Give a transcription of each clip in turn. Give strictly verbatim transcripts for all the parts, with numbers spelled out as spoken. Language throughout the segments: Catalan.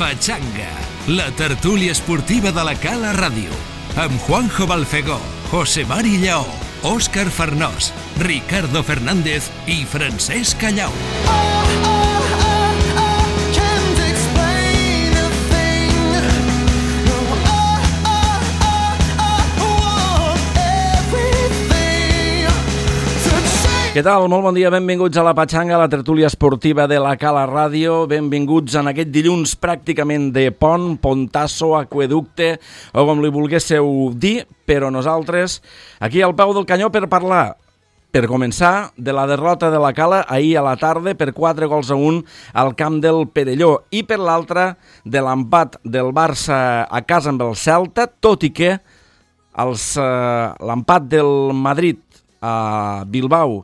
Pachanga, la tertúlia esportiva de la Cala Ràdio, amb Juanjo Balfegó, José Mari Lleó, Òscar Farnós, Ricardo Fernández i Francesc Callau. Què tal? Molt bon dia, benvinguts a la Pachanga, la tertúlia esportiva de la Cala Ràdio. Benvinguts en aquest dilluns pràcticament de pont, pontasso, aqueducte, o com li volguésseu dir, però nosaltres aquí al peu del canyó per parlar, per començar, de la derrota de la Cala ahir a la tarda per quatre gols a un al camp del Perelló i per l'altra de l'empat del Barça a casa amb el Celta, tot i que els, eh, l'empat del Madrid a Bilbao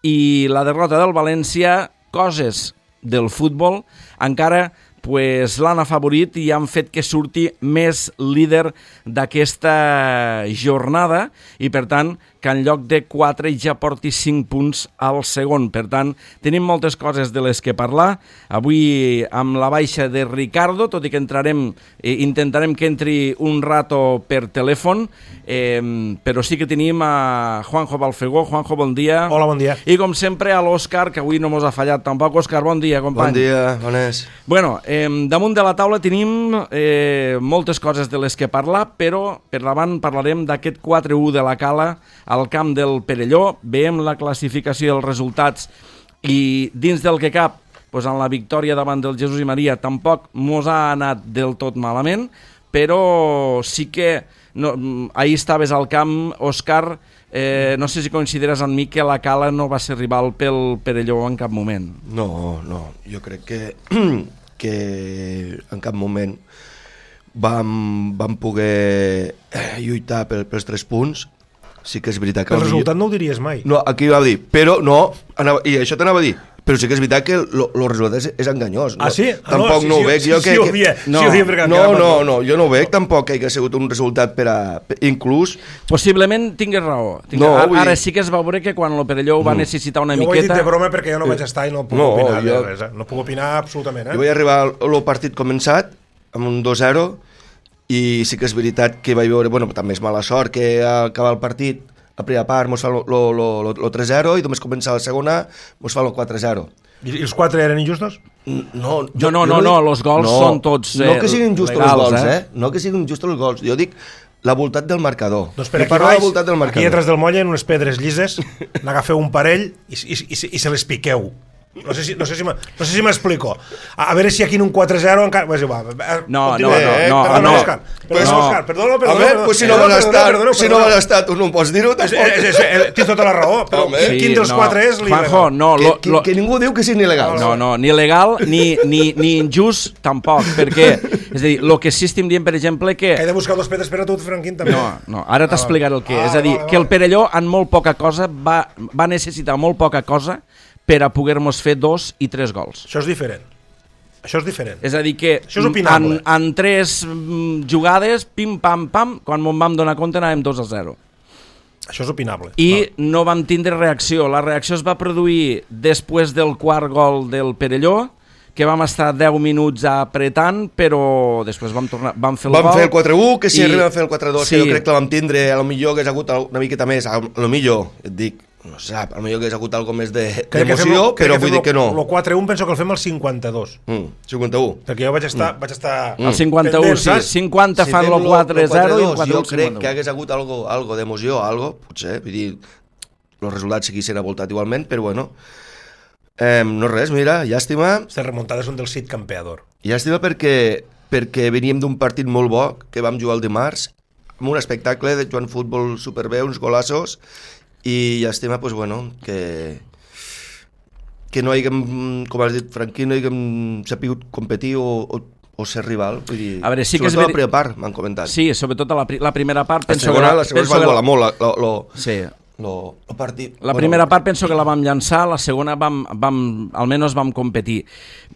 i la derrota del València, coses del futbol, encara pues, l'han afavorit i han fet que surti més líder d'aquesta jornada i, per tant, que en lloc de quatre ja porti cinc punts al segon. Per tant, tenim moltes coses de les que parlar. Avui amb la baixa de Ricardo, tot i que entrarem, eh, intentarem que entri un rato per telèfon, eh, però sí que tenim a Juanjo Balfegó. Juanjo, bon dia. Hola, bon dia. I com sempre a l'Òscar, que avui no mos ha fallat tampoc. Òscar, bon dia, company. Bon dia, bones. Bueno, eh, damunt de la taula tenim eh, moltes coses de les que parlar, però per davant parlarem d'aquest quatre a u de la Cala al camp del Perelló. Veiem la classificació dels resultats i dins del que cap, doncs en la victòria davant del Jesús i Maria tampoc mos ha anat del tot malament, però sí que no, ahir estaves al camp, Òscar, eh, no sé si consideres amb mi que la Cala no va ser rival pel Perelló en cap moment. No, no, jo crec que, que en cap moment vam, vam poder lluitar pel, pels tres punts. Sí que és veritat que... El resultat no ho diries mai. No, aquí va dir, però no, anava, i això t'anava a dir, però sí que és veritat que el resultat és, és enganyós. Ah, sí? No, tampoc no, no sí, ho veig. Sí, jo sí, que, sí, ho dia, no, sí, ho dia perquè no, no, no, jo no ho veig tampoc que hagi sigut un resultat per a... Inclús... Possiblement tingués raó. Tingués, no, ara, ara dir... sí que es va veure que quan el Perelló va mm. necessitar una jo miqueta... Jo ho he dit de broma perquè jo no vaig estar i no puc no, opinar jo... de res. Eh? No puc opinar absolutament. Eh? Jo vaig arribar al partit començat amb un dos zero i sí que és veritat que vaig veure... Bueno, també és mala sort que acabar el partit a primera part mos fa el tres zero i només començar la segona mos fa el quatre zero. I els quatre eren injustos? No, jo, no, no, no, els gols no, són tots eh, no que siguin justos legals, els gols, eh? eh? No que siguin justos els gols. Jo dic la voltat del marcador. Doncs per aquí baix, aquí atrás del moll, en unes pedres llises, n'agafeu un parell i, i, i, i se les piqueu. No sé si, no sé si, no sé si m'explico. A, a veure si aquí en un quatre zero encara... Pues, va, no, no, no, no, perdona, no. Òscar. Perdona, no. Òscar. Perdona, perdona. A veure, pues si no vas estar, si no vas estar, tu no em pots dir-ho, tampoc. Tens tota la raó, però sí, quin dels no. quatre és l'il·legal? Juanjo, no, que, lo, que, lo... que ningú diu que sigui il·legal. No, no, ni legal ni, ni, ni injust tampoc, perquè, és a dir, el que sí estem dient, per exemple, que... Que he de buscar dos pedres per a tu, Franquín, també. No, no, ara t'explicaré el que ah, és. És a dir, vale, vale. que el Perelló, en molt poca cosa, va, va necessitar molt poca cosa per a poder-nos fer dos i tres gols. Això és diferent. Això és diferent. És a dir que això és opinable. En, en tres jugades, pim, pam, pam, quan m'ho vam donar compte anàvem dos a zero. Això és opinable. I no. no vam tindre reacció. La reacció es va produir després del quart gol del Perelló, que vam estar deu minuts apretant, però després vam tornar, vam fer el vam gol. Vam fer el quatre a u, que si i... arribem a fer el quatre a dos, sí. que jo crec que la vam tindre, a lo millor hagués hagut una miqueta més, a lo millor, et dic, no sé, a lo millor hagués hagut algo més d'emoció, de, però vull dir que no. El quatre a u penso que el fem al cinquanta-dos. Mm, cinquanta-u. Perquè jo vaig estar... Mm. Vaig estar el cinquanta-u, pendent, sí. cinquanta si fan el quatre a zero i el quatre a u jo crec que hagués hagut algo, algo d'emoció, algo, potser, vull dir, els resultats seguissin a voltat igualment, però bueno... Eh, no res, mira, llàstima. Aquestes remuntades són del Cid campeador. Llàstima perquè, perquè veníem d'un partit molt bo que vam jugar el dimarts, amb un espectacle de jugant futbol superbé, uns golassos, i llàstima, pues, bueno, que, que no haguem, com has dit, Franquí, no haguem sapigut competir o, o, o ser rival. Vull dir, a veure, sí que és sobretot la primera part, m'han comentat. Sí, sobretot la, la primera part. La segona, la segona es va volar molt. La, la, la, sí. Lo, lo partit, la bueno, primera part penso que la vam llançar, la segona vam, vam, almenys vam competir.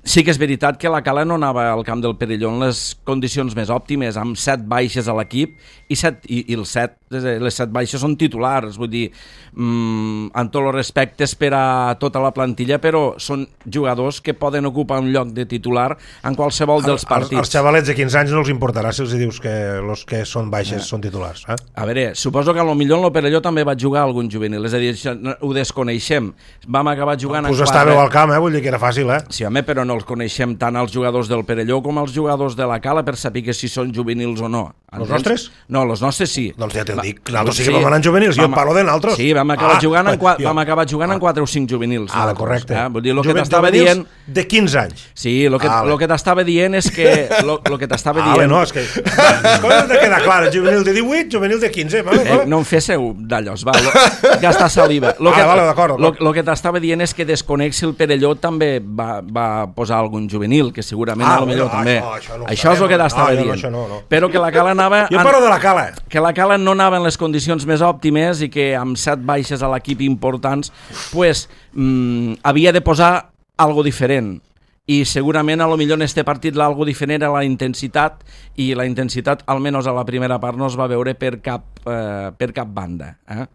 Sí que és veritat que la Cala no anava al camp del Perelló en les condicions més òptimes, amb set baixes a l'equip i, set, i, i els set les set baixes són titulars, vull dir, mmm, amb tots els respectes per a tota la plantilla, però són jugadors que poden ocupar un lloc de titular en qualsevol dels partits. Als xavalets de quinze anys no els importarà si els dius que els que són baixes eh. són titulars. Eh? A veure, suposo que potser en l'Operelló també va jugar algun juvenil, és a dir, ho desconeixem. Vam acabar jugant no, en quatre... Us estàveu al camp, eh? Vull dir que era fàcil, eh? Sí, home, però no els coneixem tant els jugadors del Perelló com els jugadors de la Cala per saber que si són juvenils o no. Els nostres? No, els nostres sí. Doncs ja te'l dic, nosaltres sí que vam anar en juvenils, jo et parlo de nosaltres. Sí, vam acabar ah, jugant en quatre, vam acabar jugant ah. en quatre o cinc juvenils. Ah, correcte. Eh? Vull dir, el que t'estava dient... de quinze anys. Sí, el que, ah, que t'estava dient és que... Lo, lo que t'estava ah, dient... no, és que... Les coses de quedar clar, juvenil de divuit, juvenil de quinze, vale, vale. Eh, no em féssiu d'allòs, va, lo, gastar saliva. Lo ah, que, vale, d'acord. Lo, lo que t'estava dient és que desconec si el Perelló també va, va posar algun juvenil, que segurament ah, a lo millor no, també. Això, això, no això és el que t'estava no, dient. No, això no, no. Però que la Cala anava... Jo parlo de la Cala. Que la Cala no anava en les condicions més òptimes i que amb set baixes a l'equip importants pues, mmm, havia de posar algo diferent. I segurament a lo millor en este partit l'algo diferent era la intensitat i la intensitat almenys a la primera part no es va veure per cap, eh, per cap banda. Eh?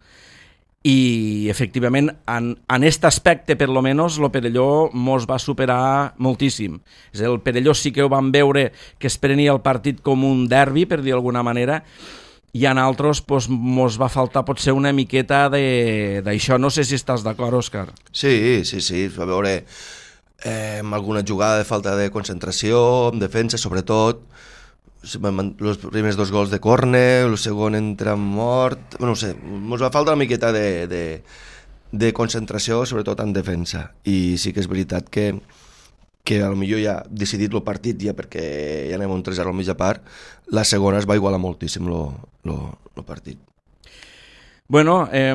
I efectivament en, en este aspecte per lo menos el Perelló mos va superar moltíssim. El Perelló sí que ho vam veure que es prenia el partit com un derbi, per dir d'alguna manera, i en altres pues, mos va faltar potser una miqueta d'això. No sé si estàs d'acord, Òscar. Sí, sí, sí, es va veure eh, amb alguna jugada de falta de concentració, en defensa sobretot, els primers dos gols de córner, el segon entra mort, no sé, ens va faltar una miqueta de, de, de concentració, sobretot en defensa, i sí que és veritat que, que a lo millor ja ha decidit el partit, ja perquè ja anem un tres a zero al mitja part, la segona es va igualar moltíssim el partit. Bueno, eh,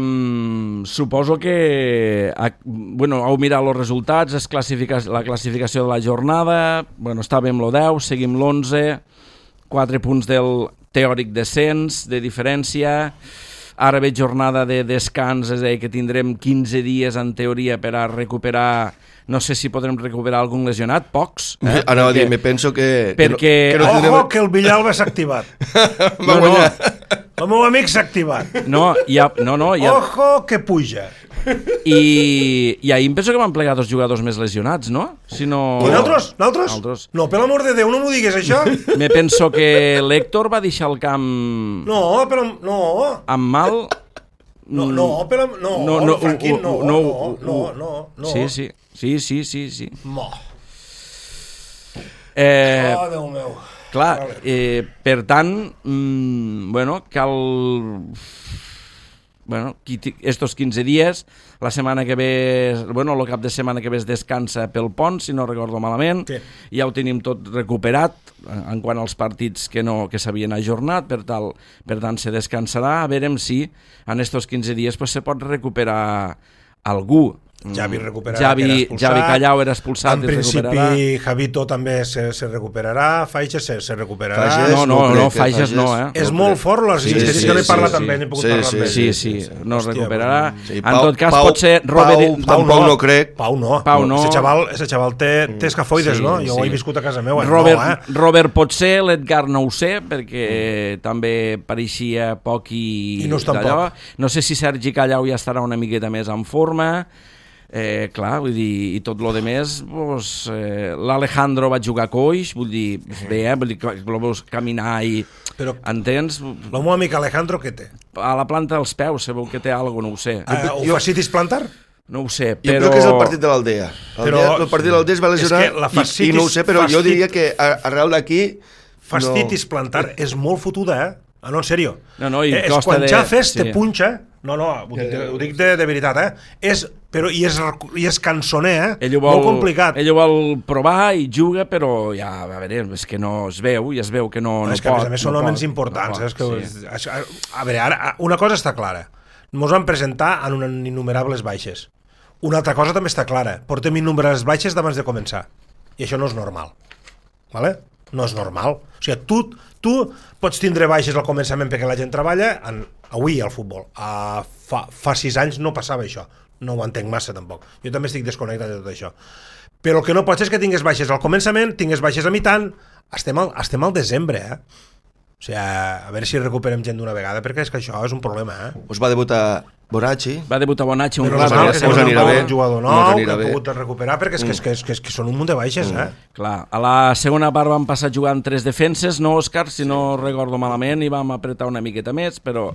suposo que bueno, heu mirat els resultats, es classifica, la classificació de la jornada, bueno, estàvem el deu, seguim l'onze, quatre punts del teòric descens, de diferència, ara ve jornada de descans, és a dir, que tindrem quinze dies en teoria per a recuperar, no sé si podrem recuperar algun lesionat, pocs. Eh? Anava a dir, me penso que... Perquè... Que no, que no tindrem... Ojo, que el Villalba s'ha activat. no, no. El meu amic s'ha activat. No, ja, no, no, ja... Ojo, que puja. I, i ahir em penso que van plegar dos jugadors més lesionats, no? Si no... I nosaltres? Nosaltres? Nosaltres? No, per l'amor de Déu, no m'ho digues, això. Me penso que l'Héctor va deixar el camp... No, però... No. Amb mal... No, no, però... No, no, no, Franquín, no, no, no, no, no, no. Sí, sí, sí, sí, sí, sí. Mo. Eh, oh, Déu meu. Clar, eh, per tant, mmm, bueno, cal... Bueno, estos quinze dies, la setmana que ve, bueno, el cap de setmana que ve es descansa pel pont, si no recordo malament, sí. Ja ho tenim tot recuperat en quant als partits que no que s'havien ajornat, per, tal, per tant se descansarà, a veure si en estos quinze dies pues, se pot recuperar algú. Javi recuperarà, Javi, que era expulsat. Javi Callau era expulsat. En principi, Javito també se, se recuperarà, Faixes se, se recuperarà. Faixes, no, no, no, no Faixes no, eh? És no molt fort, les sí, sí, sí, que no he parlat sí, amb ell, he pogut sí, parlar amb ell. Sí, sí, sí, no es recuperarà. Sí, en tot cas, Pau, pot ser... Robert... Pau, Pau, Pau no crec. Pau no. Pau no. Ese xaval, ese xaval té, té escafoides, sí, no? Jo sí. ho he viscut a casa meva. Robert, no, eh? Robert pot ser, l'Edgar no ho sé, perquè mm. també pareixia poc i... I no és tampoc. No sé si Sergi Callau ja estarà una miqueta més en forma... Eh, clar, vull dir, i tot lo de més, pues, eh, l'Alejandro va jugar coix, vull dir, bé, eh, vull dir, lo veus caminar i... Però, entens? El meu amic Alejandro, què té? A la planta dels peus, sabeu que té alguna cosa, no ho sé. Uh, ho jo... facitis plantar? No ho sé, però... Jo crec que és el partit de l'Aldea. Però... El partit de l'Aldea es va lesionar facitis... i, i no ho sé, però fastit... jo diria que arrel d'aquí... Fastitis no... plantar és molt fotuda, eh? Ah, no, en sèrio. No, no, i eh, costa quan de... xafes sí. te punxa... No, no, ho dic, ho dic de, de veritat, eh? És, però, i, és, I és cançoner, eh? Ell vol, molt complicat. Ell ho vol provar i juga, però ja, a veure, és que no es veu, i es veu que no, no, no és que, pot. A més a més són no homes pot, importants. No eh? És que, sí. a, a veure, ara, una cosa està clara. Ens van presentar en unes innumerables baixes. Una altra cosa també està clara. Portem innumerables baixes d'abans de començar. I això no és normal. Vale? No és normal. O sigui, tu, tu pots tindre baixes al començament perquè la gent treballa, en, avui al futbol. Uh, fa, fa sis anys no passava això. No ho entenc massa, tampoc. Jo també estic desconnectat de tot això. Però el que no pot ser és que tingues baixes al començament, tingues baixes a mitant. Estem al, estem al desembre, eh? O sigui, a veure si recuperem gent d'una vegada, perquè és que això és un problema, eh? Us va debutar Bonacci. Va debutar Bonacci un Però rato. normal, Ja que sabeu, us anirà no? bé. Un jugador Mos nou, que anirà ha bé. pogut recuperar, perquè és que, és que, és que, és que són un munt de baixes, eh? Clar, a la segona part vam passar jugant tres defenses, no, Òscar? Si no recordo malament, i vam apretar una miqueta més, però,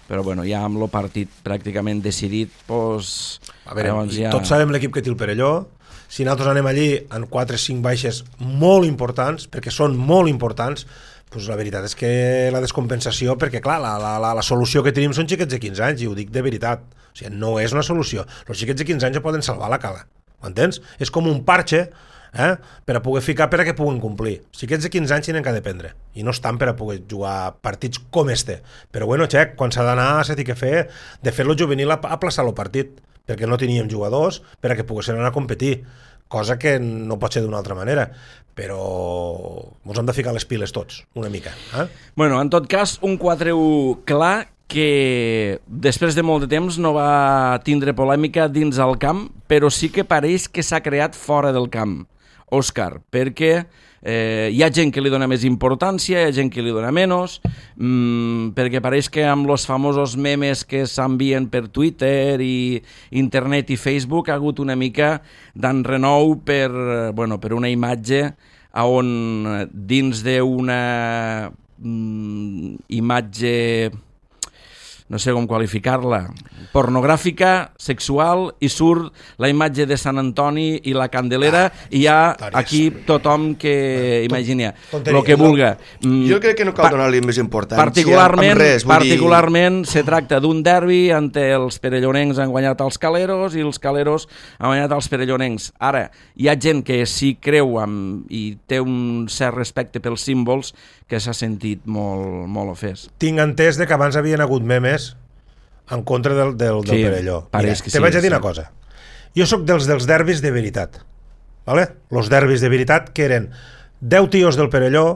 però bueno, ja amb el partit pràcticament decidit, doncs... A veure, llavors ja... ja... tots sabem l'equip que té el Perelló. Si nosaltres anem allí en quatre o cinc baixes molt importants, perquè són molt importants, doncs la veritat és que la descompensació, perquè clar, la, la, la, la solució que tenim són xiquets de quinze anys, i ho dic de veritat. O sigui, no és una solució. Els xiquets de quinze anys ja poden salvar la cala, m'entens? És com un parche, eh? Per a poder ficar, per a que puguen complir. Els xiquets de quinze anys tenen que dependre, i no estan per a poder jugar partits com este. Però bueno, xec, quan s'ha d'anar, s'ha de fer, de fer-lo juvenil a, a plaçar el partit, perquè no teníem jugadors per a que poguessin anar a competir, cosa que no pot ser d'una altra manera, però ens hem de ficar les piles tots, una mica. Eh? Bueno, en tot cas, un quatre u clar que després de molt de temps no va tindre polèmica dins el camp, però sí que pareix que s'ha creat fora del camp, Òscar, perquè eh, hi ha gent que li dona més importància, hi ha gent que li dona menys, mmm, perquè pareix que amb els famosos memes que s'envien per Twitter i internet i Facebook ha hagut una mica d'enrenou per, bueno, per una imatge on dins d'una mm, imatge, no sé com qualificar-la, pornogràfica, sexual, i surt la imatge de Sant Antoni i la Candelera, ah, i hi ha aquí tothom que imagina el que vulga. Jo crec que no cal donar-li més importància particularment, amb res. Particularment dir... se tracta d'un derbi on els perellonencs han guanyat els caleros i els caleros han guanyat els perellonencs. Ara, hi ha gent que sí creu amb, i té un cert respecte pels símbols, que s'ha sentit molt, molt ofès. Tinc entès de que abans havien hagut memes en contra del, del, del sí, Perelló. Mira, te sí, vaig a dir sí. una cosa. Jo sóc dels dels derbis de veritat. ¿Vale? Los derbis de veritat que eren deu tios del Perelló,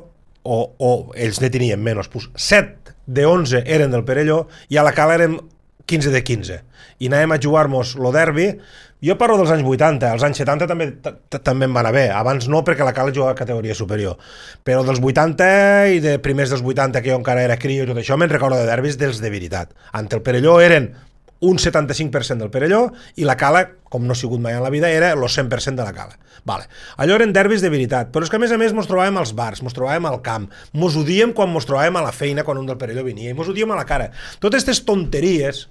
o, o ells ne tenien menys, pues set de onze eren del Perelló, i a la cala eren quinze de quinze. I anàvem a jugar-nos lo derbi. Jo parlo dels anys vuitanta, els anys setanta també també em va anar bé, abans no perquè la cala jugava a categoria superior, però dels vuitanta i de primers dels vuitanta, que jo encara era crio i tot això, me'n recordo de derbis dels de veritat. Ante el Perelló eren un setanta-cinc per cent del Perelló i la cala, com no ha sigut mai en la vida, era el cent per cent de la cala. Vale. Allò eren derbis de veritat, però és que a més a més mos trobàvem als bars, mos trobàvem al camp, mos odíem quan mos trobàvem a la feina quan un del Perelló venia, i mos odíem a la cara. Totes aquestes tonteries.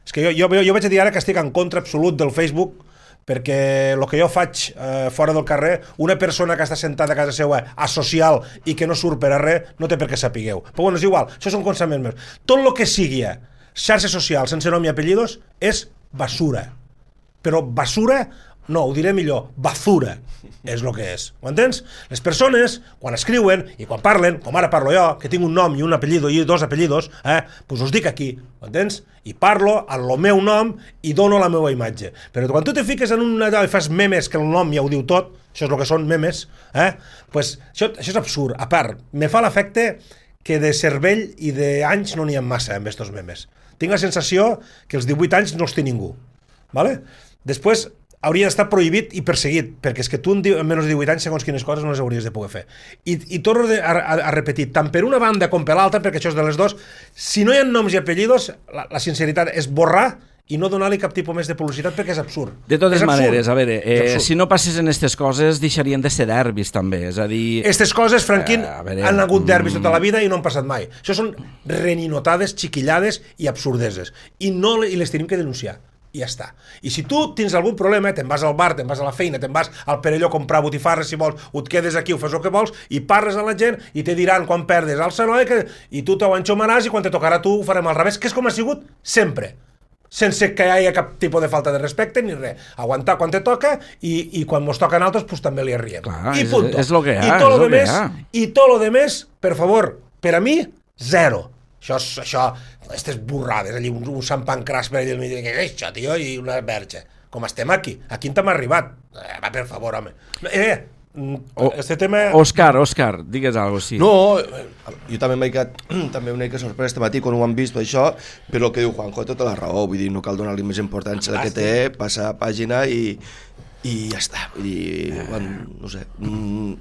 És que jo, jo, jo vaig a dir ara que estic en contra absolut del Facebook, perquè el que jo faig eh, fora del carrer, una persona que està sentada a casa seva asocial i que no surt per a res, no té per què sapigueu. Però bueno, és igual, això són coneixements meus. Tot el que sigui xarxa social sense nom i apellidos és basura. Però basura, no, ho diré millor, basura és el que és, ho entens? Les persones, quan escriuen i quan parlen, com ara parlo jo, que tinc un nom i un apellido i dos apellidos, eh, doncs us dic aquí, ho entens? I parlo en el meu nom i dono la meva imatge. Però quan tu te fiques en una i fas memes que el nom ja ho diu tot, això és el que són memes, eh, doncs això, això és absurd. A part, me fa l'efecte que de cervell i d'anys no n'hi ha massa amb aquests memes. Tinc la sensació que els divuit anys no els té ningú, ¿vale? Després hauria d'estar prohibit i perseguit, perquè és que tu en menys de divuit anys segons quines coses no les hauries de poder fer. I, i torno a, a, a repetir, tant per una banda com per l'altra, perquè això és de les dues, si no hi ha noms i apellidos, la, la sinceritat és borrar i no donar-li cap tipus més de publicitat, perquè és absurd. De totes és maneres, absurd. a veure, eh, si no passessin aquestes coses, deixarien de ser derbis, també, és a dir... Aquestes coses, Franquín, eh, veure, han hagut derbis mm... tota la vida i no han passat mai. Això són reninotades, xiquillades i absurdeses. I, no, i les tenim que denunciar. I ja està. I si tu tens algun problema, te'n vas al bar, te'n vas a la feina, te'n vas al Perelló a comprar botifarres, si vols, o et quedes aquí, ho fas el que vols, i parles a la gent, i te diran quan perdes al Sanoi, que... i tu t'ho enxomaràs, i quan te tocarà tu ho farem al revés, que és com ha sigut sempre. Sense que hi hagi cap tipus de falta de respecte ni res. Aguantar quan te toca i, i quan mos toquen altres, pues també li arriem. Clar, I punto. És, és lo que hi ha, I tot és lo lo que demés, hi ha. I tot lo demés, per favor, per a mi, zero. Això, això, aquestes burrades, allí, un, un Sant Pancràs per allà, i què és això, tio, i una verge. Com estem aquí? Aquí on t'hem arribat? Eh, va, per favor, home. Eh, o, este tema... Òscar, Òscar, digues alguna cosa, sí. No, jo també m'he quedat també una mica sorprès este matí quan ho han vist això, però el que diu Juanjo té tota la raó, vull dir, no cal donar-li més importància del que té, passar pàgina i, i ja està, vull dir, bueno, no sé... Mm,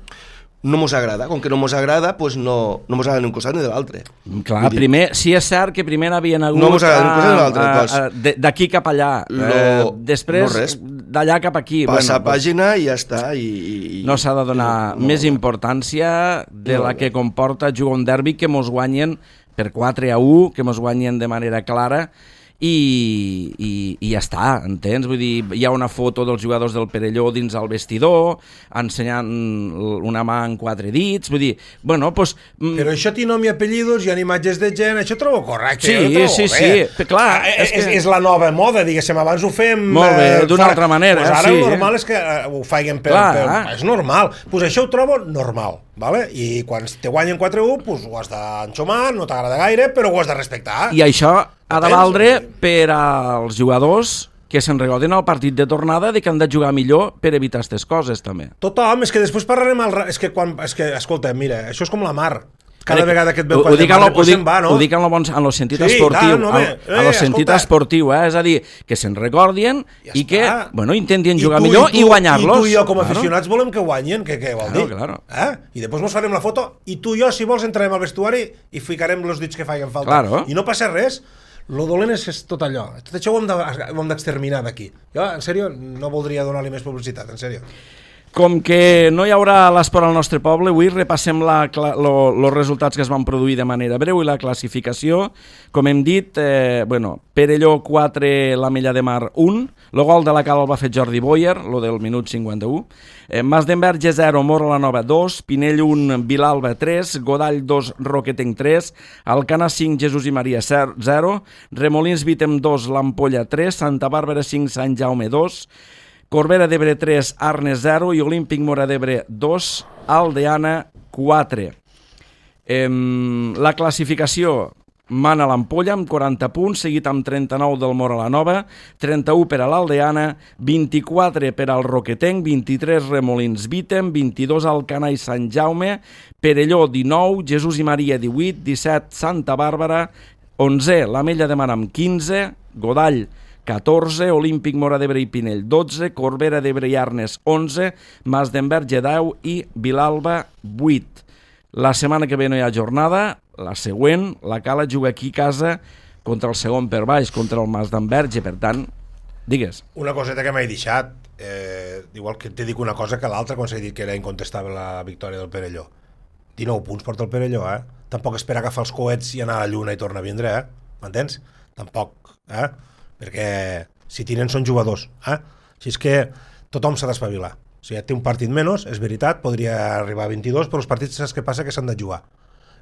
no mos agrada. Com que no mos agrada, pues no, no mos agrada ni un costat ni de l'altre. Clar, primer, sí és cert que primer havien hagut no mos agrada ni un costat ni de l'altre. D'aquí cap allà. Lo, eh, després, no d'allà cap aquí. Passa bueno, pàgina i ja està. I, i, no s'ha de donar no, més importància de no, la que comporta jugar un derbi que mos guanyen per quatre a u, que mos guanyen de manera clara, i, i, i ja està, entens? Vull dir, hi ha una foto dels jugadors del Perelló dins el vestidor, ensenyant una mà en quatre dits, vull dir, bueno, doncs... Pues, però això té nom i apellidos, hi ha imatges de gent, això trobo correcte. Sí, trobo sí, bé. sí, clar. Ah, és, és, que... és la nova moda, diguéssim, abans ho fem... Molt bé, eh, d'una altra manera, pues ara sí. el normal és que eh, ho faiguen per, per... És normal. Doncs pues això ho trobo normal, vale? I quan te guanyen quatre a u, pues ho has d'enxomar, no t'agrada gaire, però ho has de respectar. I això ha de valdre per als jugadors que se'n recordin al partit de tornada de que han de jugar millor per evitar aquestes coses, també. Tothom, és que després parlarem... Al... És que, quan... és que, escolta, mira, això és com la mar. Cada Crec, vegada que et veu ho, quan dic de mar, pues se'n va, no? Ho dic en el, en el sentit sí, esportiu, tant, home, en el eh, sentit escolta. esportiu, eh? És a dir, que se'n recordin ja i que, està. bueno, intentin I jugar tu, millor i, tu, i guanyar-los. I tu i jo com a claro. aficionats volem que guanyen, que què vol claro, dir? Claro. Eh? I després mos farem la foto i tu i jo, si vols, entrarem al vestuari i ficarem els dits que facin falta. Claro. I no passa res. Lo dolent és, és tot allò. Tot això ho hem, de, ho hem d'exterminar d'aquí. Jo, en sèrio, no voldria donar-li més publicitat, en sèrio. Com que no hi haurà l'esport al nostre poble, avui repassem els resultats que es van produir de manera breu i la classificació. Com hem dit, eh, bueno, Perelló quatre, l'Ametlla de Mar un, el gol de la Cala el va fer Jordi Boyer, lo del minut cinquanta-u, eh, Mas d'Enverge zero, Mora la Nova dos, Pinell un, Vilalba tres, Godall dos, Roquetenc tres, Alcana cinc, Jesús i Maria zero, Remolins Vitem dos, l'Ampolla tres, Santa Bàrbara cinc, Sant Jaume dos, Corbera d'Ebre tres, Arnes zero i Olímpic Mora d'Ebre dos, Aldeana quatre. Eh, la classificació mana l'Ampolla amb quaranta punts, seguit amb trenta-nou del Mora la Nova, trenta-u per a l'Aldeana, vint-i-quatre per al Roquetenc, vint-i-tres Remolins Vitem, vint-i-dos Alcana i Sant Jaume, Perelló dinou, Jesús i Maria divuit, disset Santa Bàrbara, onze l'Ametlla de Mar amb quinze, Godall catorze, Olímpic Mora d'Ebre i Pinell dotze, Corbera d'Ebre i Arnes onze, Mas d'Enverge deu i Vilalba vuit. La setmana que ve no hi ha jornada, la següent, la Cala juga aquí a casa contra el segon per baix, contra el Mas d'Enverge, per tant, digues. Una coseta que m'he deixat, eh, igual que te dic una cosa que l'altra, quan s'ha dit que era incontestable la victòria del Perelló. dinou punts porta el Perelló, eh? Tampoc espera agafar els coets i anar a la lluna i tornar a vindre, eh? M'entens? Tampoc, eh? Perquè si tiren són jugadors, eh? Així és que tothom s'ha d'espavilar. O sigui, té un partit menys, és veritat, podria arribar a vint-i-dos, però els partits saps què passa? Que s'han de jugar.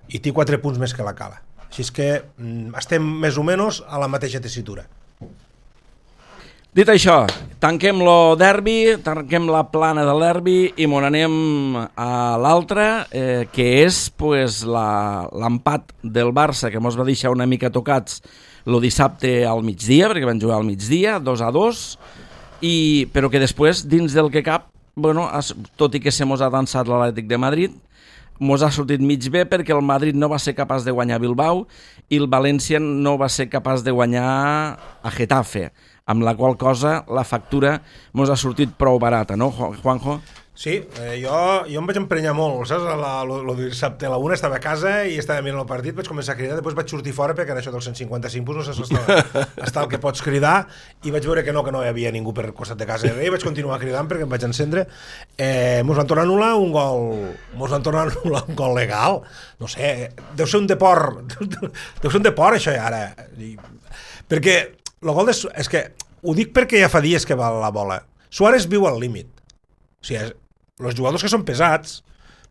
I té quatre punts més que la Cala. Així és que mm, estem més o menys a la mateixa tessitura. Dit això, tanquem lo derbi, tanquem la plana del derbi i m'on anem a l'altra, eh, que és pues, l'empat del Barça, que mos va deixar una mica tocats el dissabte al migdia, perquè van jugar al migdia, dos a dos, i, però que després, dins del que cap, bueno, tot i que se mos ha dansat l'Atlètic de Madrid, mos ha sortit mig bé perquè el Madrid no va ser capaç de guanyar Bilbao i el València no va ser capaç de guanyar a Getafe, amb la qual cosa la factura mos ha sortit prou barata, no, Juanjo? Sí, eh, jo, jo em vaig emprenyar molt, saps? La, lo, lo dissabte a la una estava a casa i estava mirant el partit, vaig començar a cridar, després vaig sortir fora perquè en això dels cent cinquanta-cinc punts no saps està, està el que pots cridar i vaig veure que no, que no hi havia ningú per costat de casa i vaig continuar cridant perquè em vaig encendre. Eh, mos van tornar a anul·lar un gol, mos van tornar a anul·lar un gol legal, no sé, deu ser un deport, deu ser un deport això ara, I, perquè el gol de, és que ho dic perquè ja fa dies que va la bola. Suárez viu al límit. O sigui, els jugadors que són pesats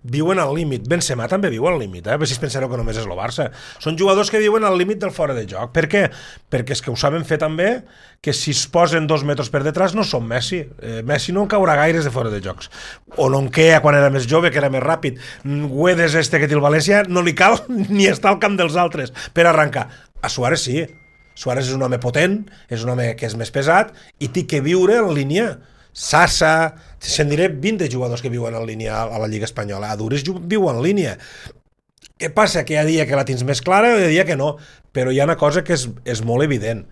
viuen al límit. Benzema també viu al límit, eh? Si es pensareu que només és el Barça. Són jugadors que viuen al límit del fora de joc. Per què? Perquè és que ho saben fer també que si es posen dos metres per detrás no són Messi. Eh, Messi no caurà gaires de fora de jocs. O Nonkea quan era més jove, que era més ràpid. Guedes este que té el València no li cal ni estar al camp dels altres per arrencar. A Suárez sí. Suárez és un home potent, és un home que és més pesat i té que viure en línia. Sassa, se'n diré vint de jugadors que viuen en línia a la Lliga Espanyola. Aduriz viu en línia. Què passa? Que hi ha dia que la tens més clara i hi ha dia que no. Però hi ha una cosa que és, és molt evident.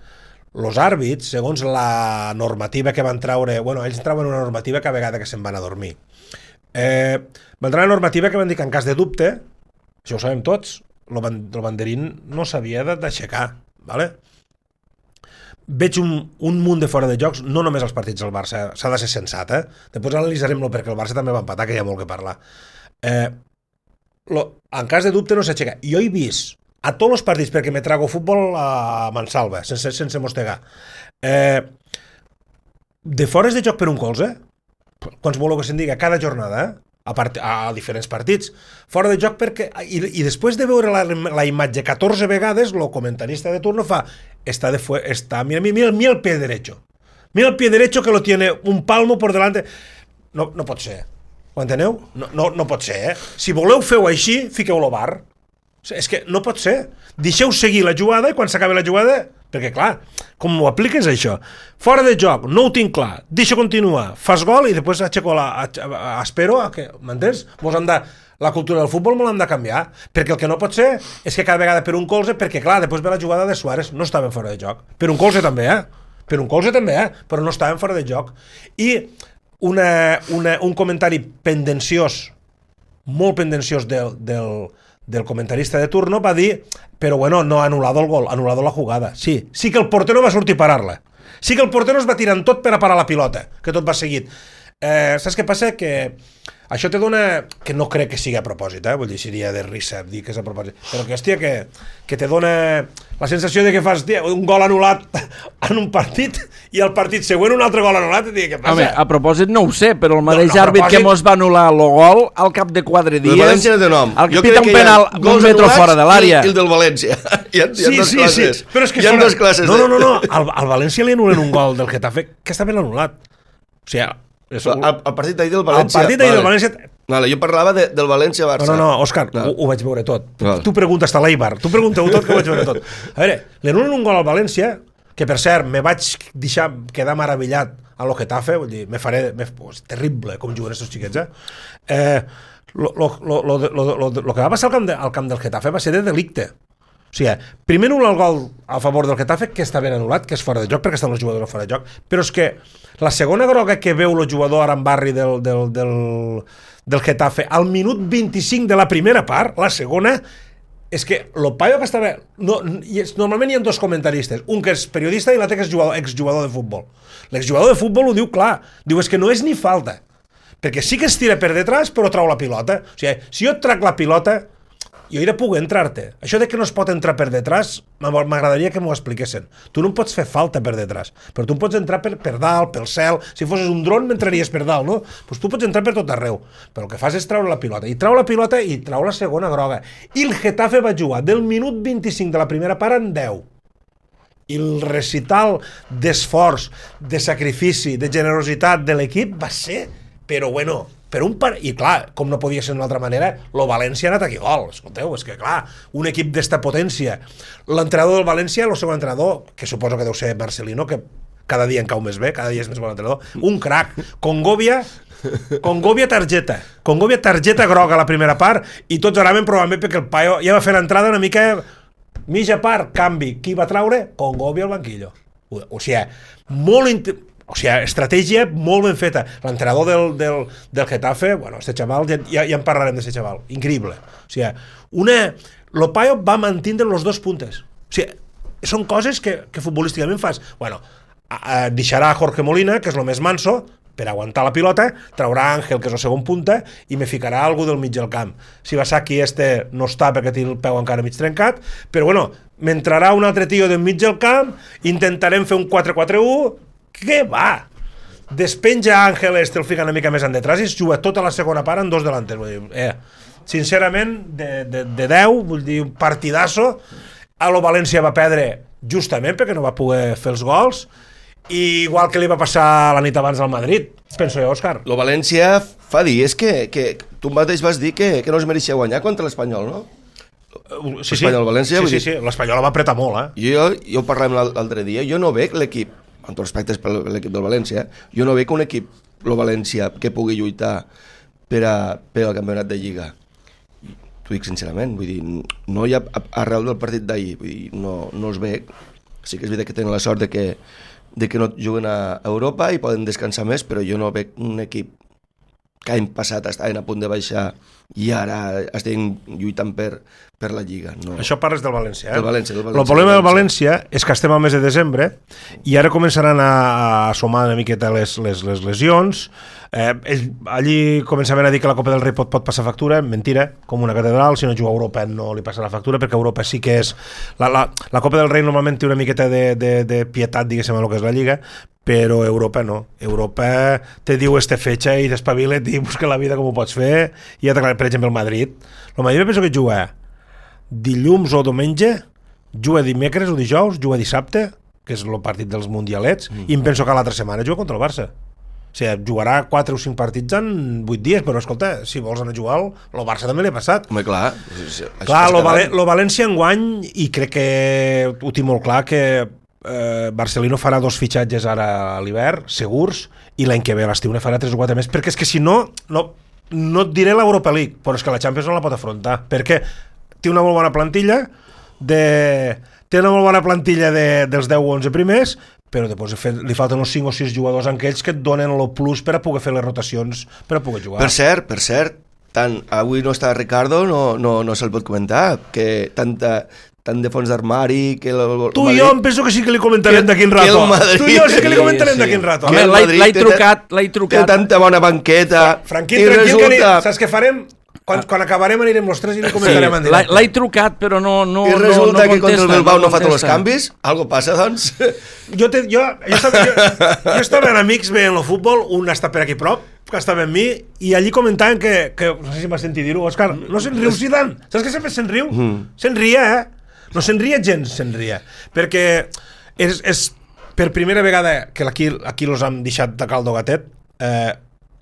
Els àrbits, segons la normativa que van traure... Bueno, ells trauen una normativa cada vegada que se'n van a dormir. Eh, va entrar la normativa que van dir que en cas de dubte, això ho sabem tots, el, ban el banderín no s'havia d'aixecar, ¿vale? Veig un, un munt de fora de jocs, no només als partits del Barça, s'ha de ser sensat, eh? Després analitzarem-lo perquè el Barça també va empatar, que hi ha molt que parlar. Eh, lo, en cas de dubte no s'aixeca. Jo he vist a tots els partits, perquè me trago futbol a mansalva, sense, sense mostegar, eh, de fores de joc per un colze, quants voleu que se'n diga, cada jornada, eh? A, part, a diferents partits, fora de joc perquè, i, i després de veure la, la imatge catorze vegades, el comentarista de turno fa, està de fue, està, mira, mira, mira el pie derecho, mira el pie derecho que lo tiene un palmo por delante, no, no pot ser, ho enteneu? No, no, no pot ser, eh? Si voleu feu així, fiqueu-lo bar, és que no pot ser, deixeu seguir la jugada i quan s'acabi la jugada, perquè clar, com ho apliques això? Fora de joc, no ho tinc clar, deixa continuar, fas gol i després aixeco la, espero a que, m'entens? Mos han de, la cultura del futbol me l'han de canviar, perquè el que no pot ser és que cada vegada per un colze, perquè clar, després ve la jugada de Suárez, no estaven fora de joc, per un colze també, eh? Per un colze també, eh? Però no estaven fora de joc. I una, una, un comentari pendenciós, molt pendenciós del, del, del comentarista de turno va dir, però bueno, no ha anul·lado el gol, ha anul·lado la jugada. Sí, sí que el portero va sortir a parar-la. Sí que el portero es va tirant tot per a parar la pilota, que tot va seguit. Eh, saps què passa? Que això te dona, que no crec que sigui a propòsit, eh? Vull dir, seria de risa dir que és a propòsit, però que, hòstia, que, que te dona la sensació de que fas tia, un gol anul·lat en un partit i al partit següent un altre gol anul·lat i dir, què passa? Home, a propòsit no ho sé, però el mateix no, no, àrbit propòsit... que mos va anul·lar el gol al cap de quatre dies, el València de nom. el que pita un penal un metre fora de l'àrea. I el del València. Hi ha, hi ha sí, dos sí, classes. Sí, però és que hi ha sona... dos classes. No, no, no, no. Al, al València li anulen un gol del Getafe que està ben anul·lat. O sigui, és... el, el partit d'ahir del València. El partit d'ahir vale. del València... Vale, jo parlava de, del València-Barça. No, no, no, Òscar, no. Ho, ho vaig veure tot. Vale. Tu preguntes a l'Eibar, tu pregunteu tot que ho vaig veure tot. A veure, li anulen un gol al València, que per cert, me vaig deixar quedar meravellat a lo Getafe, vull dir, me faré... Me, és terrible com juguen aquests xiquets, eh? eh lo, lo, lo, lo, lo, lo, lo que va passar al camp, de, al camp del Getafe va ser de delicte. O sigui, primer anul·la el gol a favor del Getafe, que està ben anul·lat, que és fora de joc, perquè estan els jugadors fora de joc, però és que la segona groga que veu el jugador Arambarri del, del, del, del Getafe al minut vint-i-cinc de la primera part, la segona, és que el paio que estava... No, és, normalment hi ha dos comentaristes, un que és periodista i l'altre que és jugador, exjugador de futbol. L'exjugador de futbol ho diu clar, diu és que no és ni falta, perquè sí que es tira per detrás però trau la pilota. O sigui, si jo et trac la pilota, jo he de poder entrar-te. Això de que no es pot entrar per detrás, m'agradaria que m'ho expliquessin. Tu no em pots fer falta per detrás, però tu em pots entrar per, per dalt, pel cel. Si fossis un dron, m'entraries per dalt, no? Doncs tu pots entrar per tot arreu. Però el que fas és treure la pilota. I trau la pilota i trau la segona groga. I el Getafe va jugar del minut vint-i-cinc de la primera part en deu. I el recital d'esforç, de sacrifici, de generositat de l'equip va ser, però bueno... Per un par... I clar, com no podia ser d'una altra manera, el València ha anat aquí gol. Escolteu, és que clar, un equip d'esta potència. L'entrenador del València, el segon entrenador, que suposo que deu ser Marcelino, que cada dia en cau més bé, cada dia és més bon entrenador, un crac. Congovia, Congovia targeta. Congovia targeta groga a la primera part i tots anaven probablement perquè el paio ja va fer l'entrada una mica... Mitja part, canvi. Qui va traure? Congovia al banquillo. O, o sigui, molt... Int... O sigui, estratègia molt ben feta. L'entrenador del, del, del Getafe, bueno, este xaval, ja, ja en parlarem d'aquest xaval, increïble. O sigui, una... Lo paio va mantindre los dos puntes. O sigui, són coses que, que futbolísticament fas. Bueno, a, a, deixarà a Jorge Molina, que és el més manso, per aguantar la pilota, traurà Àngel, que és el segon punta, i me ficarà algú del mig del camp. Si Basaki este no està perquè té el peu encara mig trencat, però bueno, m'entrarà un altre tio del mig del camp, intentarem fer un quatre quatre u. Què va? Despenja Àngel este, el fica una mica més en detrás i es juga tota la segona part en dos delanters. Vull dir, eh, sincerament, de, de, de deu, vull dir, un partidasso. A lo València va perdre justament perquè no va poder fer els gols, i igual que li va passar la nit abans al Madrid, penso jo, Òscar. Lo València fa dies que, que tu mateix vas dir que, que no es mereixia guanyar contra l'Espanyol, no? Sí, sí, València, sí, sí, sí. L'Espanyol va apretar molt, eh? Jo, jo parlàvem l'altre dia, jo no veig l'equip, amb tots respectes per l'equip del València, jo no veig un equip, el València, que pugui lluitar per, a, per al campionat de Lliga. T'ho dic sincerament, vull dir, no hi ha arrel del partit d'ahir, vull dir, no, no els veig. Sí que és veritat que tenen la sort de que, de que no juguen a Europa i poden descansar més, però jo no veig un equip que l'any passat estaven a punt de baixar i ara estem lluitant per, per la Lliga. No. Això parles del València, eh? Del València, del València. El problema del València és que estem al mes de desembre i ara començaran a, a sumar una miqueta les, les, les lesions. Eh, ells, allí començaven a dir que la Copa del Rei pot, pot passar factura. Mentira, com una catedral. Si no juga a Europa no li passa la factura, perquè Europa sí que és... La, la, la Copa del Rei normalment té una miqueta de, de, de pietat, diguéssim, en el que és la Lliga, però Europa no. Europa te diu este fetge i t'espavila't i busca la vida com ho pots fer. I ja t'aclarat, per exemple, el Madrid. El Madrid penso que juga dilluns o diumenge, juga dimecres o dijous, juga dissabte, que és el partit dels mundialets, mm. i em penso que l'altra setmana juga contra el Barça. O sigui, jugarà quatre o cinc partits en vuit dies, però escolta, si vols anar a jugar, el Barça també l'ha passat. Home, clar. Clar, lo, Val lo València enguany, i crec que ho tinc molt clar, que eh, Barcelona farà dos fitxatges ara a l'hivern, segurs, i l'any que ve a l'estiu ne farà tres o quatre més, perquè és que si no, no, no et diré l'Europa League, però és que la Champions no la pot afrontar, perquè té una molt bona plantilla de... té una molt bona plantilla de, dels deu o onze primers, però després li falten uns cinc o sis jugadors en aquells que et donen el plus per a poder fer les rotacions, per a poder jugar. Per cert, per cert, tant, avui no està Ricardo, no, no, no se'l pot comentar, que tanta... tant de fons d'armari que el, el tu i jo em penso que sí que li comentarem d'aquí un rato tu i jo sí que li comentarem sí, d'aquí un rato home, l'he trucat, l'he trucat té tanta bona banqueta Franquín, tranquil, resulta... que li, saps què farem? Quan, quan acabarem anirem els tres i li comentarem sí, en directe. L'he trucat però no, no, i resulta no, no que contra el Bilbao no, no fa tots els canvis? Algo passa, doncs? Jo, te, jo, jo, estava, jo, jo estava en amics veient el futbol, un està per aquí prop, que estava amb mi, i allí comentaven que, que no sé si m'has sentit dir-ho, Òscar, no se'n riu Zidane, saps que sempre se'n riu? Mm. Se'n ria, eh? No se'n ria gens, se'n ria, perquè és, és per primera vegada que aquí, aquí los han deixat de caldo gatet. eh,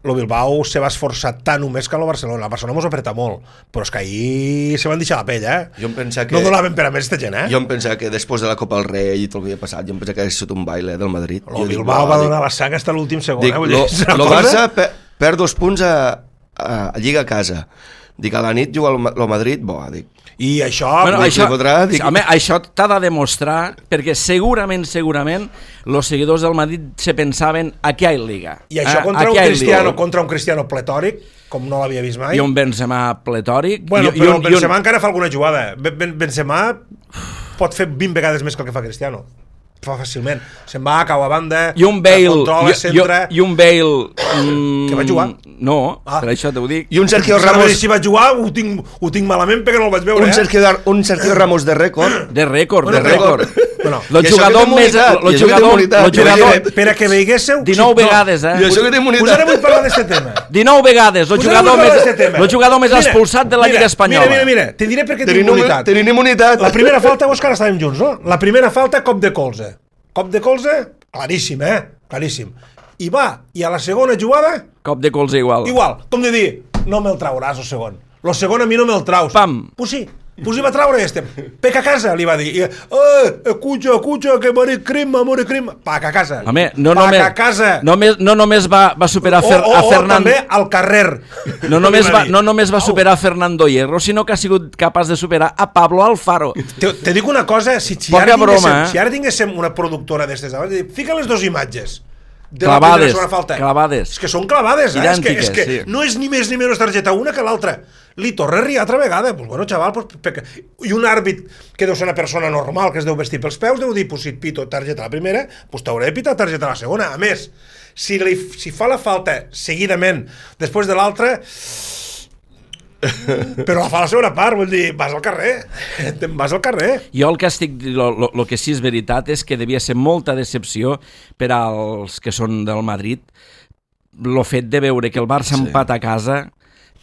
el Bilbao se va esforçar tant o més que el Barcelona. El Barcelona mos apreta molt, però és que ahir se van deixar la pell, eh? Jo em pensava que... No donaven per a més esta gent, eh? Jo em pensava que després de la Copa del Rei i tot el que havia passat, jo em pensava que hagués sigut un baile del Madrid. El Bilbao dic, va donar dic, la sang fins a l'últim segon, dic, eh? Vull dir, el Barça per, perd dos punts a, a, a Lliga a casa. Dic, a la nit juga el Madrid, bo, dic. I això... Bueno, dic, això, podrà, dic... home, això t'ha de demostrar, perquè segurament, segurament, els seguidors del Madrid se pensaven aquí hi ha Liga. I això eh? contra, un cristiano, contra un cristiano pletòric, com no l'havia vist mai. I un Benzema pletòric. Bueno, i, però i un, Benzema un... encara fa alguna jugada. Ben, Benzema pot fer vint vegades més que el que fa Cristiano. Fa fàcilment. Se'n va, cau a banda, i un Bale, controla, centra... I, i un Bale... Mm, que va jugar? No, ah. per això t'ho dic. I un Sergio Ramos... Si va jugar, ho tinc, ho tinc malament perquè no el vaig veure, un eh? Sergio, un Sergio Ramos de rècord. De rècord, bueno, de rècord. Bueno, el jugador més... El jugador... El jugador... Per a que veiéssiu... dinou vegades, eh? I això que té imunitat. Us ara vull parlar d'aquest tema. dinou vegades. El jugador més, el jugador més expulsat de la Lliga Espanyola. Mira, mira, mira. Te diré per què té imunitat. Tenim imunitat. La primera falta, Òscar, estàvem junts, no? La primera falta, cop de colze. Cop de colze, claríssim, eh? Claríssim. I va, i a la segona jugada... Cop de colze igual. Igual, com de dir, no me'l trauràs, el segon. El segon a mi no me'l traus. Pam. Pues sí, pues hi va traure este. Peca a casa, li va dir. I, eh, escucha, escucha, que m'haré crema, m'haré crema. Paca a casa. Home, no Paca només, a casa. Només, no només va, va superar a, Fer, o, o, a Fernando... O també al carrer. No només, va, no només va superar a Fernando Hierro, sinó que ha sigut capaç de superar a Pablo Alfaro. Te, te dic una cosa, si, si, Poca ara, tinguéssim, broma, eh? si ara tinguéssim una productora d'estes abans, fica les dues imatges. De clavades, la falta. clavades. És que són clavades, eh? Idèntiques, és que, és que sí. no és ni més ni menys targeta una que l'altra. Li torna a riar altra vegada. Pues bueno, xaval, pues, peca. I un àrbit que deu ser una persona normal, que es deu vestir pels peus, deu dir, pues, si et pito targeta a la primera, pues t'hauré de pitar targeta a la segona. A més, si, li, si fa la falta seguidament després de l'altra... però la fa la segona part, vull dir, vas al carrer, te'n vas al carrer. Jo el que estic, el que sí és veritat és que devia ser molta decepció per als que són del Madrid el fet de veure que el Barça sí. empata a casa,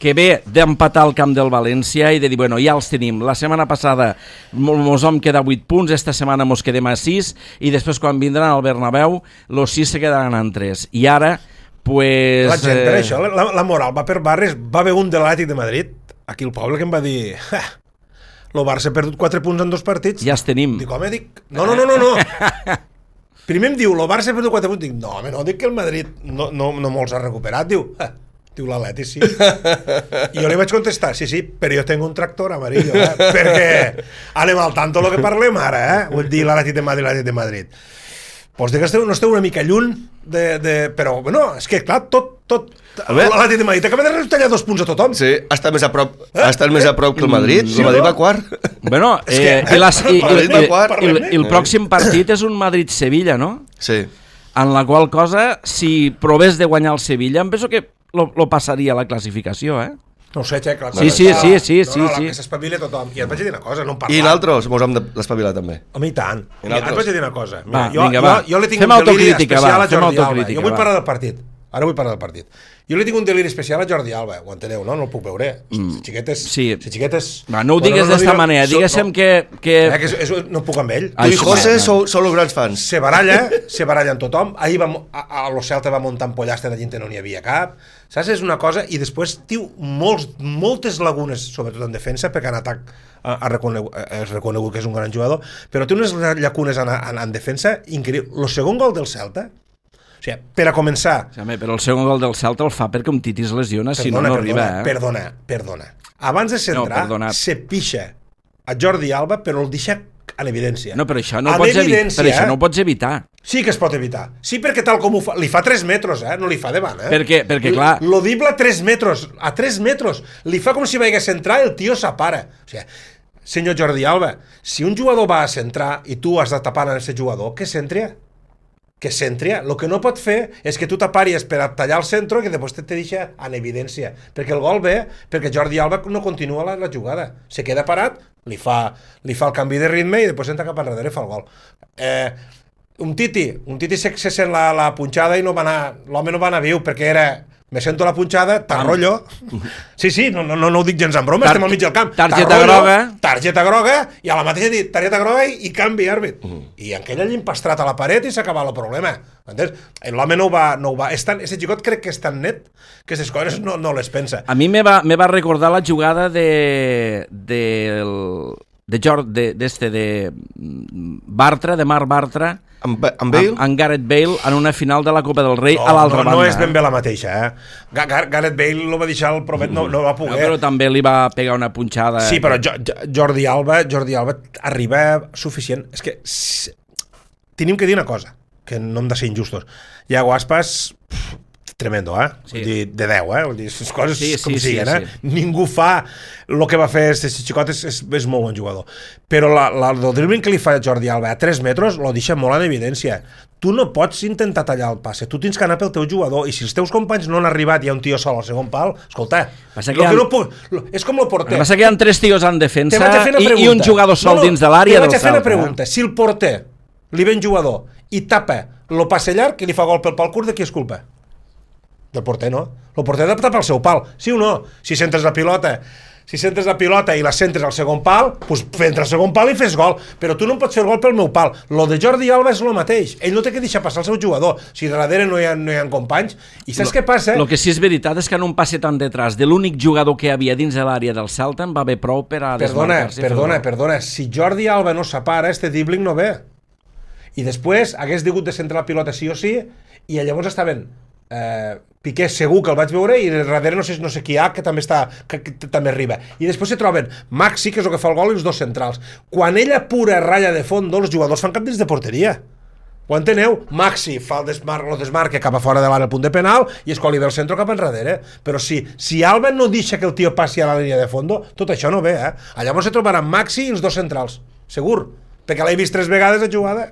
que ve d'empatar al camp del València i de dir, bueno, ja els tenim. La setmana passada mos vam quedar vuit punts, esta setmana mos quedem a sis i després quan vindran al Bernabéu los sis se quedaran en tres. I ara pues, la gent per eh... això, la, la moral va per barres. Va haver un de l'Atlètic de Madrid aquí el poble que em va dir el Barça ha perdut quatre punts en dos partits. Ja els tenim. Dic, home, dic, no, no, no, no, no. Primer em diu, el Barça ha perdut quatre punts. Dic, no, home, no, dic que el Madrid no, no, no molts ha recuperat. Diu, ah, diu l'Atlètic, sí. I jo li vaig contestar, sí, sí, però jo tengo un tractor amarillo, eh? Perquè anem al tanto lo que parlem ara, eh? Vull dir l'Atlètic de Madrid, l'Atlètic de Madrid. Pues dic que esteu, no esteu una mica lluny de, de... però bueno, és que clar, tot, tot... L'Atlètic de Madrid acaba de retallar dos punts a tothom. Sí, ha estat més a prop, ha estat més a prop que el Madrid. Sí, el Madrid no? va quart. Bueno, És eh, que- i, les, i, i, Parlem-ne, i, i, parlem-ne. i el pròxim partit és un Madrid-Sevilla, no? Sí. En la qual cosa, si provés de guanyar el Sevilla, em penso que lo, lo passaria a la classificació, eh? No ho sé, Xec. La Sí, cosa sí, està- sí, sí, no, sí, no, la sí. que s'espavila tothom. I et vaig a dir una cosa, no en parlar. I nosaltres mos hem d'espavilar també. Home, i tant. I I ara et nosaltres? vaig a dir una cosa. Va, jo, vinga, jo, va. jo li tinc Fem un deliri autocrítica, especial va, a fem Jordi Alba. autocrítica, Jo vull va. parlar del partit. Ara vull parlar del partit. Jo li tinc un deliri especial a Jordi Alba, ho enteneu, no? No el puc veure. Mm. Si xiquet és... Sí. Si xiquet és... Va, no ho digues no, d'esta digue- manera, so- diguéssim no. que... que... Eh, que és, és, no puc amb ell. Ai, Tu i sí, José va. sou, sou els grans fans. Se baralla, se baralla amb tothom. Ahir va, mo- a, a lo Celta va muntar en pollastre de gent que no n'hi havia cap. Saps? És una cosa... I després tiu molts, moltes lagunes, sobretot en defensa, perquè en atac ha, ha reconegut, és reconegut que és un gran jugador, però té unes llacunes en, en, en defensa increïbles. El segon gol del Celta, o sigui, per a començar... Sí, home, però el segon gol del Celta el fa perquè un Titi es lesiona, si no, no arriba, eh? Perdona, perdona. Abans de centrar, No, perdonat. se pixa a Jordi Alba, però el deixa en evidència. No, però això no, En ho pots, evi evidència, però això eh? no ho pots evitar. Sí que es pot evitar. Sí, perquè tal com ho fa... Li fa tres metres, eh? No li fa davant, eh? Perquè, perquè clar... L'odible a tres metres. A tres metres. Li fa com si vaigués a centrar i el tio s'apara. O sigui, senyor Jordi Alba, si un jugador va a centrar i tu has de tapar a aquest jugador, que centri? Que centri. El que no pot fer és que tu t'aparies per a tallar el centre i que després te, te deixa en evidència. Perquè el gol ve, perquè Jordi Alba no continua la, la jugada. Se queda parat, li fa, li fa el canvi de ritme i després entra cap enrere i fa el gol. Eh, un Titi, un Titi se, se sent la, la punxada i no va anar, l'home no va anar viu perquè era... Me sento la punxada, t'arrollo. Sí, sí, no, no, no ho dic gens en broma, Tar estem al mig del camp. targeta groga. Targeta groga, i a la mateixa dit, targeta groga i, i canvi àrbit. Uh -huh. I aquell allà empastrat a la paret i s'acaba el problema. Entens? L'home no ho va... No ho va és tan, ese xicot crec que és tan net que aquestes coses no, no les pensa. A mi me va, me va recordar la jugada de... de, de, George, de, d'este, de Bartra, de Marc Bartra, Amb, amb Bale? amb, amb Gareth Bale en una final de la Copa del Rei No, a l'altra no, banda. no és ben bé la mateixa, eh? Gar Gar Gareth Bale lo va deixar el promet, no, no va No, poder. però també li va pegar una punxada. Sí, però jo, jo, Jordi Alba, Jordi Alba arriba suficient. És que s- tenim que dir una cosa, que no hem de ser injustos. Iago Aspas, pff, tremendo, eh? Sí. Vull dir, de deu, eh? Vull dir, les coses Sí, com sí, sí, siguen, eh? sí. Ningú fa el que va fer este xicot, és, és, és molt bon jugador. Però la, la, el dribbling que li fa Jordi Alba a tres metres lo deixa molt en evidència. Tu no pots intentar tallar el passe, tu tens que anar pel teu jugador, i si els teus companys no han arribat i hi ha un tio sol al segon pal, escolta, Passa que lo hi ha- que no puc, lo, és com el porter. El que passa que hi ha tres tios en Te defensa vaig a fer una i, pregunta. i un jugador sol no, no, dins de l'àrea del Te vaig a fer una Celta. pregunta. Si el porter li ve un jugador i tapa el passe llarg i li fa gol pel pal curt, de qui és culpa? Del porter, no? El porter ha de tapar el seu pal, sí o no? Si centres la pilota, si centres la pilota i la centres al segon pal, doncs entra al segon pal i fes gol. Però tu no em pots fer el gol pel meu pal. Lo de Jordi Alba és el mateix. Ell no té que deixar passar el seu jugador. Si darrere no hi ha, no hi ha companys. I saps què passa? El que sí és veritat és que en un passe tan detrás de l'únic jugador que hi havia dins de l'àrea del Celta en va haver prou per a Perdona, desmarcar-se. i fer perdona, el gol. perdona. Si Jordi Alba no s'apara, este dribbling no ve. I després hagués digut de centrar la pilota sí o sí, i llavors estaven eh, Piqué segur que el vaig veure, i darrere no sé, no sé qui hi ha, que també està, que, que també arriba. I després se troben Maxi, que és el que fa el gol, i els dos centrals. Quan ella pura ratlla de fondo, els jugadors fan cap dins de porteria. Ho enteneu? Maxi fa el desmarc, el desmarque cap a fora de l'àrea al punt de penal, i és quan li ve el centre cap enrere. Però si, si Alba no deixa que el tio passi a la línia de fondo, tot això no ve, eh? Llavors se trobaran Maxi i els dos centrals, segur, perquè l'he vist tres vegades a jugada.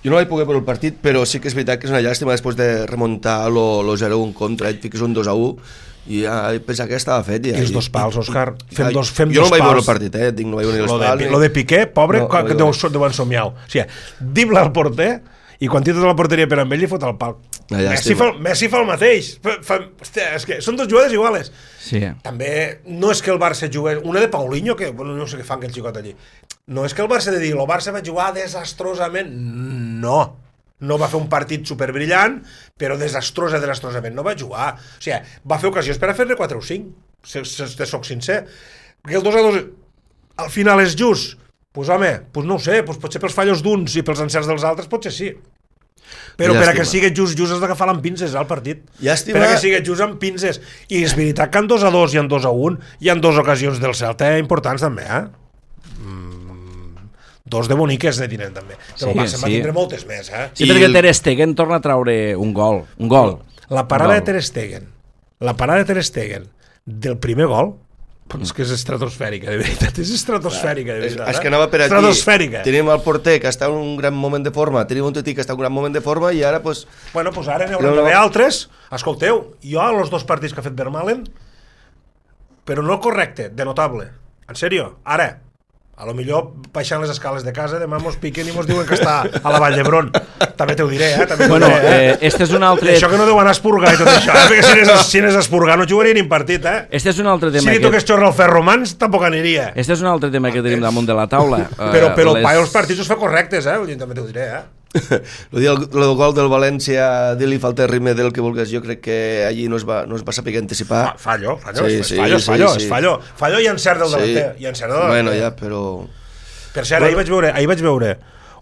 Jo no vaig poder veure el partit, però sí que és veritat que és una llàstima després de remuntar lo zero a un contra, et fiques un dos a u, i ja pensava que estava fet. Ja, I els dos pals, Òscar. Fem dos, fem jo dos no vaig pals. veure el partit, eh? Dic, no vaig veure ni els Lo de, pals. lo de Piqué, pobre, No, no, no que vaig deu, deuen somiar. O sigui, dibla al porter, i quan tira tota la porteria per amb ell, li fot el pal. Una Messi llàstima. fa, Messi fa el mateix. Fa, fa, hòstia, és que són dos jugades iguales. Sí. També no és que el Barça jugui... Una de Paulinho, que bueno, no sé què fan aquell xicot allí. No és que el Barça de dir, el Barça va jugar desastrosament. No. No va fer un partit superbrillant, però desastrosa, desastrosament. No va jugar. O sigui, va fer ocasions per a fer-ne quatre o cinc. Si, si te soc sincer. Perquè el dos a dos al final és just. Doncs pues, home, pues no ho sé, pues potser pels fallos d'uns i pels encerts dels altres potser sí. Però per a que sigui just, just has d'agafar amb pinces al partit. Llàstima. Per a que sigui just amb pinces. I és veritat que en dos a dos i en dos a un hi ha dues ocasions del Celta importants també, eh? Mm, dos de boniques ne tenen també. Però Sí, el Barça en va sí. tindre moltes més, eh? Sí, I perquè el- Ter Stegen torna a traure un gol. Un gol. La parada Val. de Ter Stegen, la parada de Ter Stegen del primer gol, però és que és estratosfèrica, de veritat, és estratosfèrica, de És, veritat. és que anava per aquí. Estratosfèrica. Tenim el porter que està en un gran moment de forma, tenim un Tití que està en un gran moment de forma i ara, pues... Bueno, doncs ara n'hi haurà d'haver altres. Escolteu, jo a los dos partits que ha fet Vermaelen, però no correcte, de notable. En sèrio, ara, a lo millor baixant les escales de casa, demà mos piquen i mos diuen que està a la Vall d'Hebron. També t'ho diré, eh? També Bueno, diré, eh? eh, este és un altre... I això que no deu anar a espurgar i tot això, eh? Perquè si anés, si anés a espurgar no jugaria ni un partit, eh? Este és un altre Si tema li que... toqués xorra al Ferromans, tampoc aniria. Este és un altre tema que tenim damunt de la taula. Però, Eh, però les- el paio els partits els fa correctes, eh? Vull dir, també t'ho diré, eh? Lo del, lo del gol del València, dir-li falta de ritme del que vulguis, jo crec que allí no es va, no es va saber anticipar. Fa- Fallo, fallo, Sí, és sí, fallo, és sí, fallo, sí. és fallo. Fallo i encert del Sí. davanter. I encert del davanter. Bueno, ja, però... Per cert, ahir vaig veure, ahir vaig veure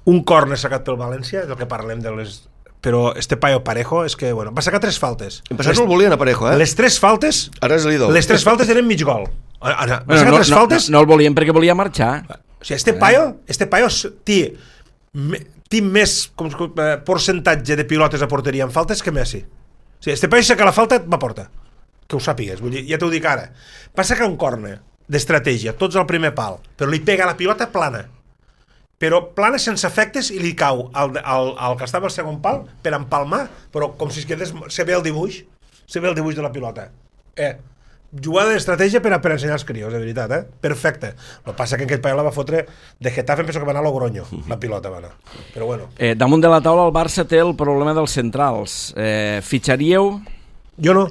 un córner sacat pel València, del que parlem de les... Però este paio Parejo és que, bueno, va sacar tres faltes. En passat no el volien a Parejo, eh? Les tres faltes, Ara és l'idol. les tres faltes eren mig gol. Ara, va Bueno, sacar no, tres no, faltes... no, no el volien perquè volia marxar. O sigui, este paio, este paio s- té, me- té més com, com, eh, percentatge de pilotes a porteria en faltes que Messi. O sigui, este paio saca la falta, va a porta. Que ho sàpigues, vull dir, ja t'ho dic ara. Va sacar un córner d'estratègia, tots al primer pal, però li pega la pilota plana. Però plana sense efectes i li cau al, al, al que estava al segon pal per empalmar, però com si es quedés... Se ve el dibuix, se ve el dibuix de la pilota. Eh, jugada d'estratègia per, a- per ensenyar als crios, de veritat, eh? Perfecte. El que passa que aquell paio la va fotre de Getafe, em penso que va anar a Logroño, la pilota va anar. Però bueno. Eh, damunt de la taula el Barça té el problema dels centrals. Eh, fitxaríeu? Jo no.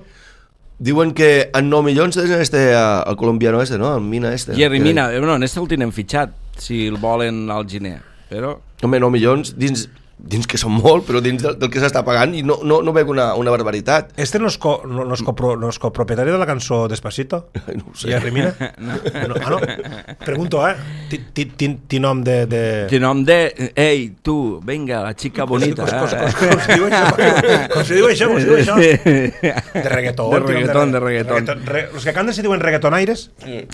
Diuen que en nou milions tenen este, uh, el colombiano este, no? El Mina este. Jerry Que- Mina, eh, no, en este el tenen fitxat, si el volen al gener. Però... Home, nou milions dins, dins que són molt, però dins del, del que s'està pagant i no, no, no veig una, una barbaritat. Este no és, co, no, no, és copro, no és copropietari de la cançó Despacito? No ho sé. I Rimina? No. No, ah, no? Pregunto, eh? Ti- ti- ti- Ti nom de... de... De nom de... Ei, tu, venga, la xica bonita. Com, com, eh? com, com, se diu això? Com se diu això? Com se diu això? De reggaeton. De reggaeton, de reggaeton. Re, los que canten se diuen reggaetonaires?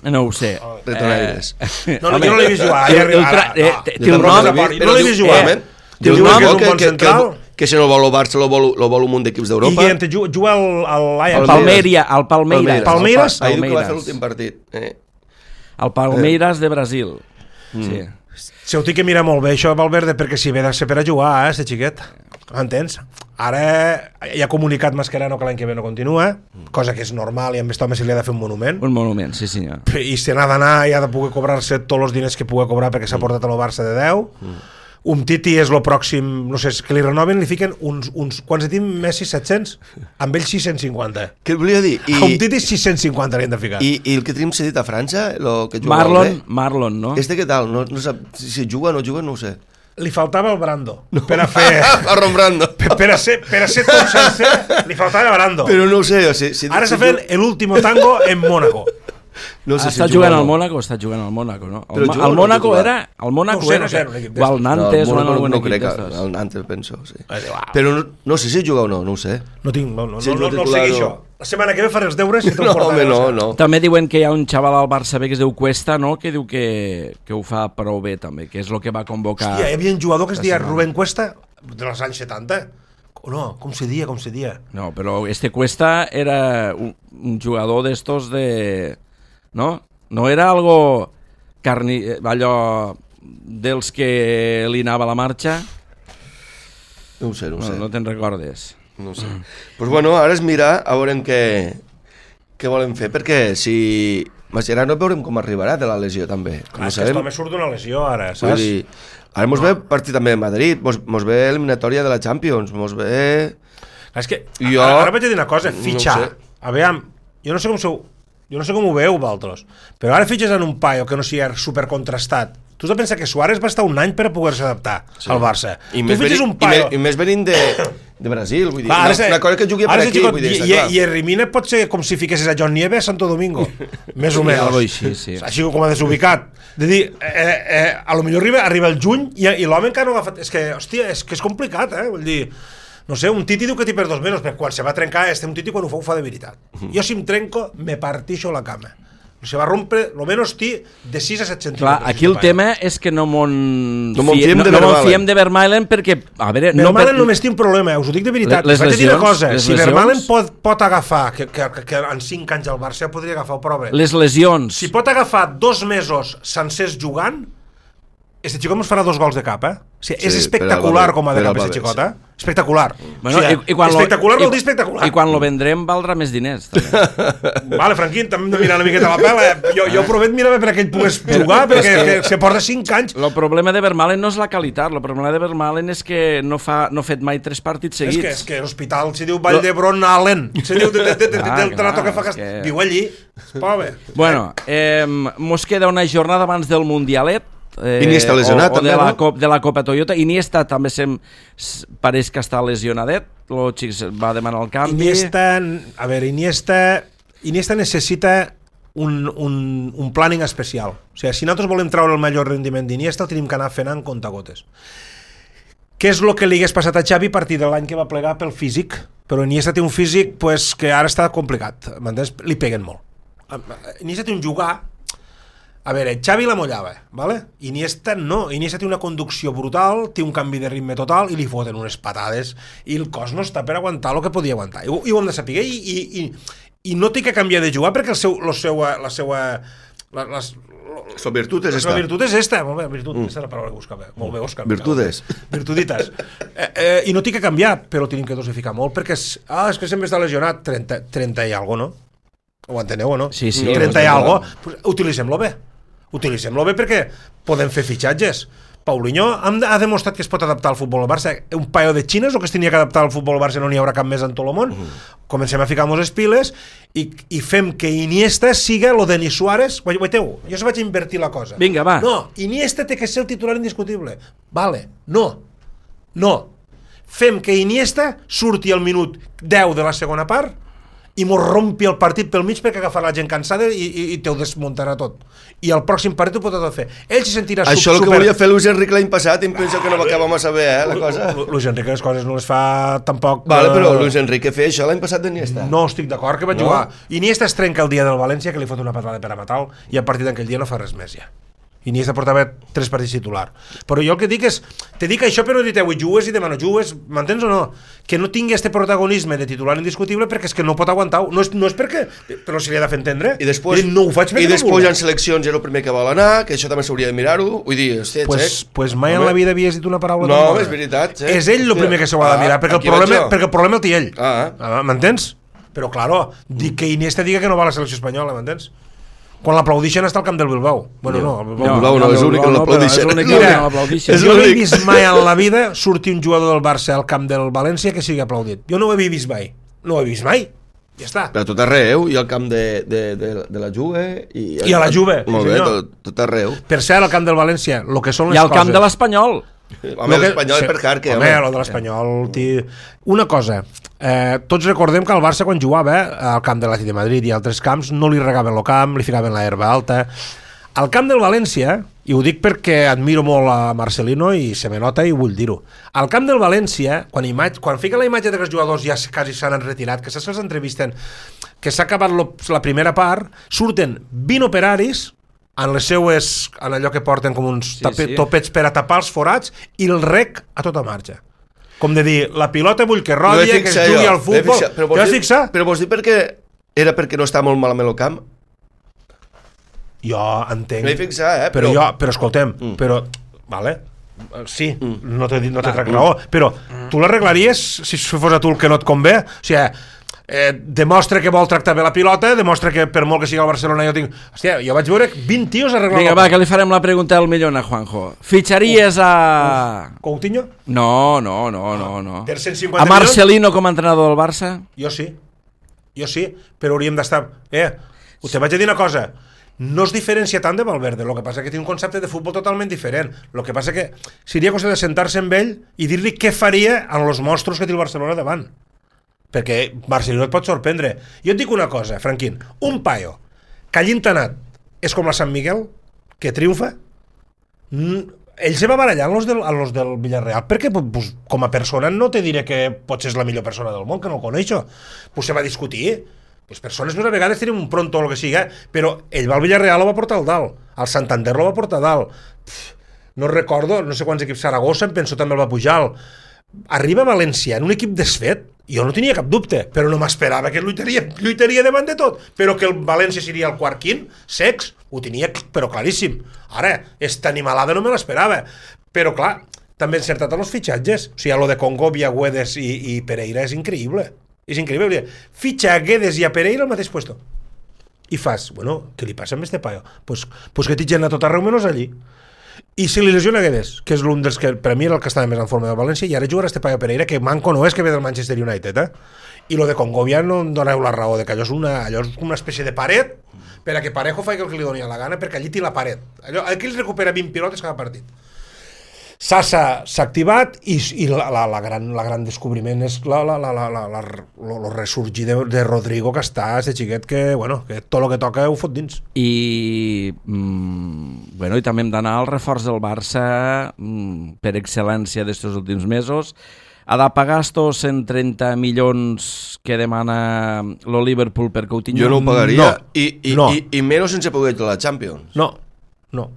No ho sé. Retonaires. No, no, Home, jo no l'he vist jugar. el- Ara, el ara, tra- eh, ah, té- jo té un tampoc nom, l'he vist, però no l'he diu- vist jugar. eh, Diu Diu que no, és un que, bon que, que, central. que si no el vol el Barça, lo vol, lo vol un munt d'equips I d'Europa. que te juga, juga al, al Ajax. Palmeria, el Palmeiras. Palmeiras? El Ahir diu que va fer Palmeiras. l'últim partit. Eh. El Palmeiras de Brasil. Mm. Sí. Se ho té que mirar molt bé, això, Valverde, perquè si ve de ser per a jugar, eh, este xiquet. M'entens? Ara ja ha comunicat Mascherano que l'any que ve no continua, cosa que és normal i amb aquest home se li ha de fer un monument. Un monument, sí senyor. I se n'ha d'anar i ha de poder cobrar-se tots els diners que pugui cobrar perquè s'ha portat a lo Barça de deu. Un Titi és lo pròxim, no sé, és que li renoven, li fiquen uns, uns quants de tinc Messi set-cents? Amb ell sis-cents cinquanta. Què et volia dir? I, a un Titi sis-cents cinquanta li han de ficar. I, I el que tenim cedit a França, lo que juga Marlon, molt bé, Marlon, no? este què tal? No, no sap si, si juga o no juga, no ho sé. Li faltava el Brando. No. Per a fer... A Rombrando. per, per, a ser, per a ser tot sencer, li faltava el Brando. Però no ho sé. O sigui, si, Ara si s'ha fet l'últim tango en Mónaco. No sé Està si jugant juga o al no. Mónaco, està jugant al Mónaco, no? Però El, juga o el no Mónaco titular? era... El Mónaco No ho sé, era... no sé, que- un equip o el d'estos. Nantes no, o en no, algun no equip crec que d'estos. el Nantes penso, sí. Ai, uau. Però no, no sé si juga o no, no ho sé. No tinc, no, no, Sí, no, no, no el titular, segueixo. no. La setmana que ve faré els deures i te'l No, portaré. home, no, o sigui. no. També diuen que hi ha un xaval al Barça B que es diu Cuesta, no? Que diu que, que ho fa prou bé també, que és el que va convocar... Hòstia, hi havia un jugador que es la deia setmana. Rubén Cuesta, dels anys setanta. O no, com se dia, com se dia. No, però este Cuesta era un, un jugador d'estos de... No? No era algo carni... allò dels que li anava a la marxa? No ho sé, no ho No, sé. no te'n recordes. No ho sé. Pues bueno, ara és mirar a veure què, què volen fer, perquè si... Mascherano veurem com arribarà de la lesió també. Clar, No és que aquest sabem. home surt d'una lesió ara, Vull saps? dir, ara mos ve partit també de Madrid, mos, mos ve eliminatòria de la Champions, mos ve... Clar, és que Jo- ara, ara vaig a dir una cosa, no fitxar. ho sé. Aviam, jo no sé com sou, jo no sé com ho veieu vosaltres, però ara fitxes en un paio que no sigui supercontrastat. Tu has de pensar que Suárez va estar un any per a poder-se adaptar sí. al Barça. I tu més, fitxes venint, un paio... i, més, I més venint de, de Brasil, vull dir, Va, una, sé- una cosa que jugui per ara sé, aquí, xicot, vull dir, i, està i, clar. i Herrimina pot ser com si fiquessis a John Nieve a Santo Domingo, més o Sí, menys. algo així, sí. Així com a desubicat. De dir, eh, eh, a lo millor arriba, arriba el juny i, i l'home encara no ha agafat... És que, hòstia, és que és complicat, eh? Vull dir, no sé, un Titi diu que t'hi per dos mesos, però quan se va trencar, este un Titi quan ho fa, ho fa de veritat. Jo si em trenco, me partixo la cama. Se va rompre, lo menos, tí, de sis a set centímetres. Clar, aquí el tema és que no m'on no m'on fiem, no, no fiem de Vermaelen perquè, a veure... Vermaelen no per... només té un problema, us ho dic de veritat. Les Vaig a dir una cosa, si lesions... Vermaelen pot, pot agafar, que, que, que en cinc anys al Barça podria agafar, però bé. Les lesions... Si pot agafar dos mesos sencers jugant, este xicot ens farà dos gols de cap, eh? O sigui, sí, és espectacular com a de cap, aquest xicot, eh? Sí. Espectacular. Bueno, o sigui, i, i quan espectacular lo, vol dir espectacular. I, I quan lo vendrem valdrà més diners, també. Vale, Franquín, també hem de mirar una miqueta la pela. Eh? Jo, jo promet mirar perquè ell pogués jugar, perquè que se porta cinc anys. El problema de Vermaelen no és la qualitat, el problema de Vermaelen és que no fa no ha fet mai tres partits seguits. És que, és que l'hospital se diu Vall d'Hebron Allen, se diu del trato que fa que... Viu allí, es pobre. Bueno, eh, mos queda una jornada abans del Mundialet, Eh, Iniesta lesionat o, o també, de, la no? Cop, de la Copa Toyota. Iniesta també sem, pareix que està lesionadet, el xic va demanar el canvi. Iniesta, a veure, Iniesta Iniesta necessita un, un, un planning especial. O sigui, si nosaltres volem treure el major rendiment d'Iniesta, el tenim que anar fent en comptagotes. Què és el que li hagués passat a Xavi a partir de l'any que va plegar pel físic? Però Iniesta té un físic pues, que ara està complicat, m'entens? Li peguen molt. Iniesta té un jugar. A veure, Xavi la mollava, ¿vale? Iniesta no, Iniesta té una conducció brutal, té un canvi de ritme total i li foten unes patades i el cos no està per aguantar el que podia aguantar. I, i ho hem de saber i, i, i, i no té que canviar de jugar perquè el seu, la seva... La seva la, les, la virtut és esta. La virtut és esta, molt bé, virtut, mm. aquesta és la paraula que buscava. Molt bé, Òscar. Virtudes. Virtuditas. Eh, eh, I no té que canviar, però tenim que dosificar molt perquè és, ah, és que sempre està lesionat, trenta, trenta i algo, no? Ho enteneu o no? Sí, sí. trenta i algo, pues, utilitzem-lo bé. Utilitzem-lo bé perquè podem fer fitxatges. Paulinho ha demostrat que es pot adaptar al futbol al Barça. Un paio de xines o que es tenia que adaptar al futbol al Barça no n'hi haurà cap més en tot el món. Uh-huh. Comencem a ficar mos piles i, i fem que Iniesta siga lo de Denis Suárez. Guaiteu, jo se vaig invertir la cosa. Vinga, va. No, Iniesta té que ser el titular indiscutible. Vale, no. No. Fem que Iniesta surti al minut deu de la segona part i mos rompi el partit pel mig perquè agafarà la gent cansada i, i, i te ho desmuntarà tot. I el pròxim partit ho pot tot fer. Ell se sentirà super... Això el que volia fer Luis Enrique l'any passat i em penso que no l'acabem a saber, eh, la cosa. Luis Enrique les coses no les fa tampoc... Vale, però Luis Enrique feia això l'any passat d'Iniesta. No estic d'acord que va no? jugar. Iniesta es trenca el dia del València, que li fot una patada per a matar i a partir d'aquell dia no fa res més ja. Iniesta portava tres partits titular. Però jo el que dic és, te dic això però diteu, i jugues i demà no jugues, m'entens o no? Que no tingui este protagonisme de titular indiscutible perquè és que no pot aguantar, no és, no és perquè, però si li ha de fer entendre. I després, I no ho faig i després hi ha seleccions, és el primer que vol anar, que això també s'hauria de mirar-ho, vull dir, hòstia, pues, xec. Pues mai en la vida havies dit una paraula no, tan bona. És veritat, xec. És ell el primer que s'ho ha de mirar, perquè el, problema, perquè el problema el té ell. Ah. Ah, m'entens? Però, claro, dic que Iniesta diga que no va a la selecció espanyola, m'entens? Quan l'aplaudixen està al camp del Bilbao. Bueno, no, el Bilbao no, no, no, és l'únic que l'aplaudixen. Jo no he vist mai en la vida sortir un jugador del Barça al camp del València que sigui aplaudit. Jo no ho he vist mai. No ho he vist mai. Ja està. Però tot arreu, i al camp de, de, de, de la Juve... I, I a la Juve. Molt bé, tot, tot arreu. Per cert, al camp del València, el que són les coses... I al camp de l'Espanyol. Home, l'Espanyol és per Carque. Home, home, el de l'Espanyol... Una cosa, eh, tots recordem que el Barça quan jugava al camp de l'Atlètic de Madrid i altres camps no li regaven el camp, li ficaven la herba alta. Al camp del València, i ho dic perquè admiro molt a Marcelino i se me nota i vull dir-ho, al camp del València, quan, imatge, quan fica la imatge de que els jugadors ja quasi s'han retirat, que se'ls entrevisten, que s'ha acabat lo, la primera part, surten vint operaris en les seues, en allò que porten com uns sí, tapet, sí. topets per a tapar els forats i el rec a tota marxa. Com de dir, la pilota vull que rodi, que es jugui al futbol. Te vas fixar? Però vols dir perquè era perquè no està molt malament el camp? Jo entenc. No hi fixar, eh? Però, però jo, però escoltem, mm. però, vale, sí, mm. no t'he no trec raó, però mm. tu l'arreglaries si fos a tu el que no et convé? O sigui, eh, demostra que vol tractar bé la pilota, demostra que per molt que sigui al Barcelona jo tinc... Hòstia, jo vaig veure vint tios arreglar... Vinga, va, que li farem la pregunta al millón a Juanjo. Fitxaries a... Coutinho? No, no, no, no, no. Per cent cinquanta a Marcelino com a entrenador del Barça? Jo sí, jo sí, però hauríem d'estar... Eh, te vaig a dir una cosa, no es diferencia tant de Valverde, el que passa que té un concepte de futbol totalment diferent, el que passa que seria cosa de sentar-se amb ell i dir-li què faria amb els monstros que té el Barcelona davant, perquè Marcelino et pot sorprendre. Jo et dic una cosa, Franquín, un paio que hagi entenat és com la Sant Miguel, que triomfa, ell se va barallar amb los del, amb los del Villarreal, perquè pues, com a persona no te diré que potser és la millor persona del món, que no el coneixo, pues se va discutir. les persones més a vegades tenen un pronto o el que sigui, però ell va al Villarreal, ho va portar al dalt, al Santander lo va portar a dalt. Pff, no recordo, no sé quants equips, Saragossa, em penso també el va pujar. Arriba a València en un equip desfet, jo no tenia cap dubte, però no m'esperava que lluitaria, lluitaria davant de tot, però que el València seria el quart quint, secs, ho tenia però claríssim. Ara, esta animalada no me l'esperava, però clar, també encertat en els fitxatges, o sigui, lo de Congo, Guedes i, i Pereira és increïble, és increïble, fitxa a Guedes i a Pereira al mateix puesto, i fas, bueno, què li passa amb este paio? Pues, pues que t'hi a tot arreu menys allí. I si li lesiona Guedes, que és l'un dels que per a mi era el que estava més en forma de València, i ara jugarà este paio Pereira, que manco no és, que ve del Manchester United, eh? I lo de Congovia no em doneu la raó, de que allò és una, allò és una espècie de paret per a que Parejo faci el que li doni la gana, perquè allí té la paret. Allò, aquí els recupera vint pilotes cada partit. Sasa s'ha activat i, i la, la, la, gran, la gran descobriment és la, la, la, la, la, la, lo, lo ressorgir de, de Rodrigo, que està, este xiquet que, bueno, que tot el que toca ho fot dins. I, mm, bueno, i també hem d'anar al reforç del Barça mm, per excel·lència d'estos últims mesos. Ha de pagar estos cent trenta milions que demana lo Liverpool per Coutinho? Jo no ho pagaria, no, i, i, no. i, i menys sense poder ir a la Champions. No, no.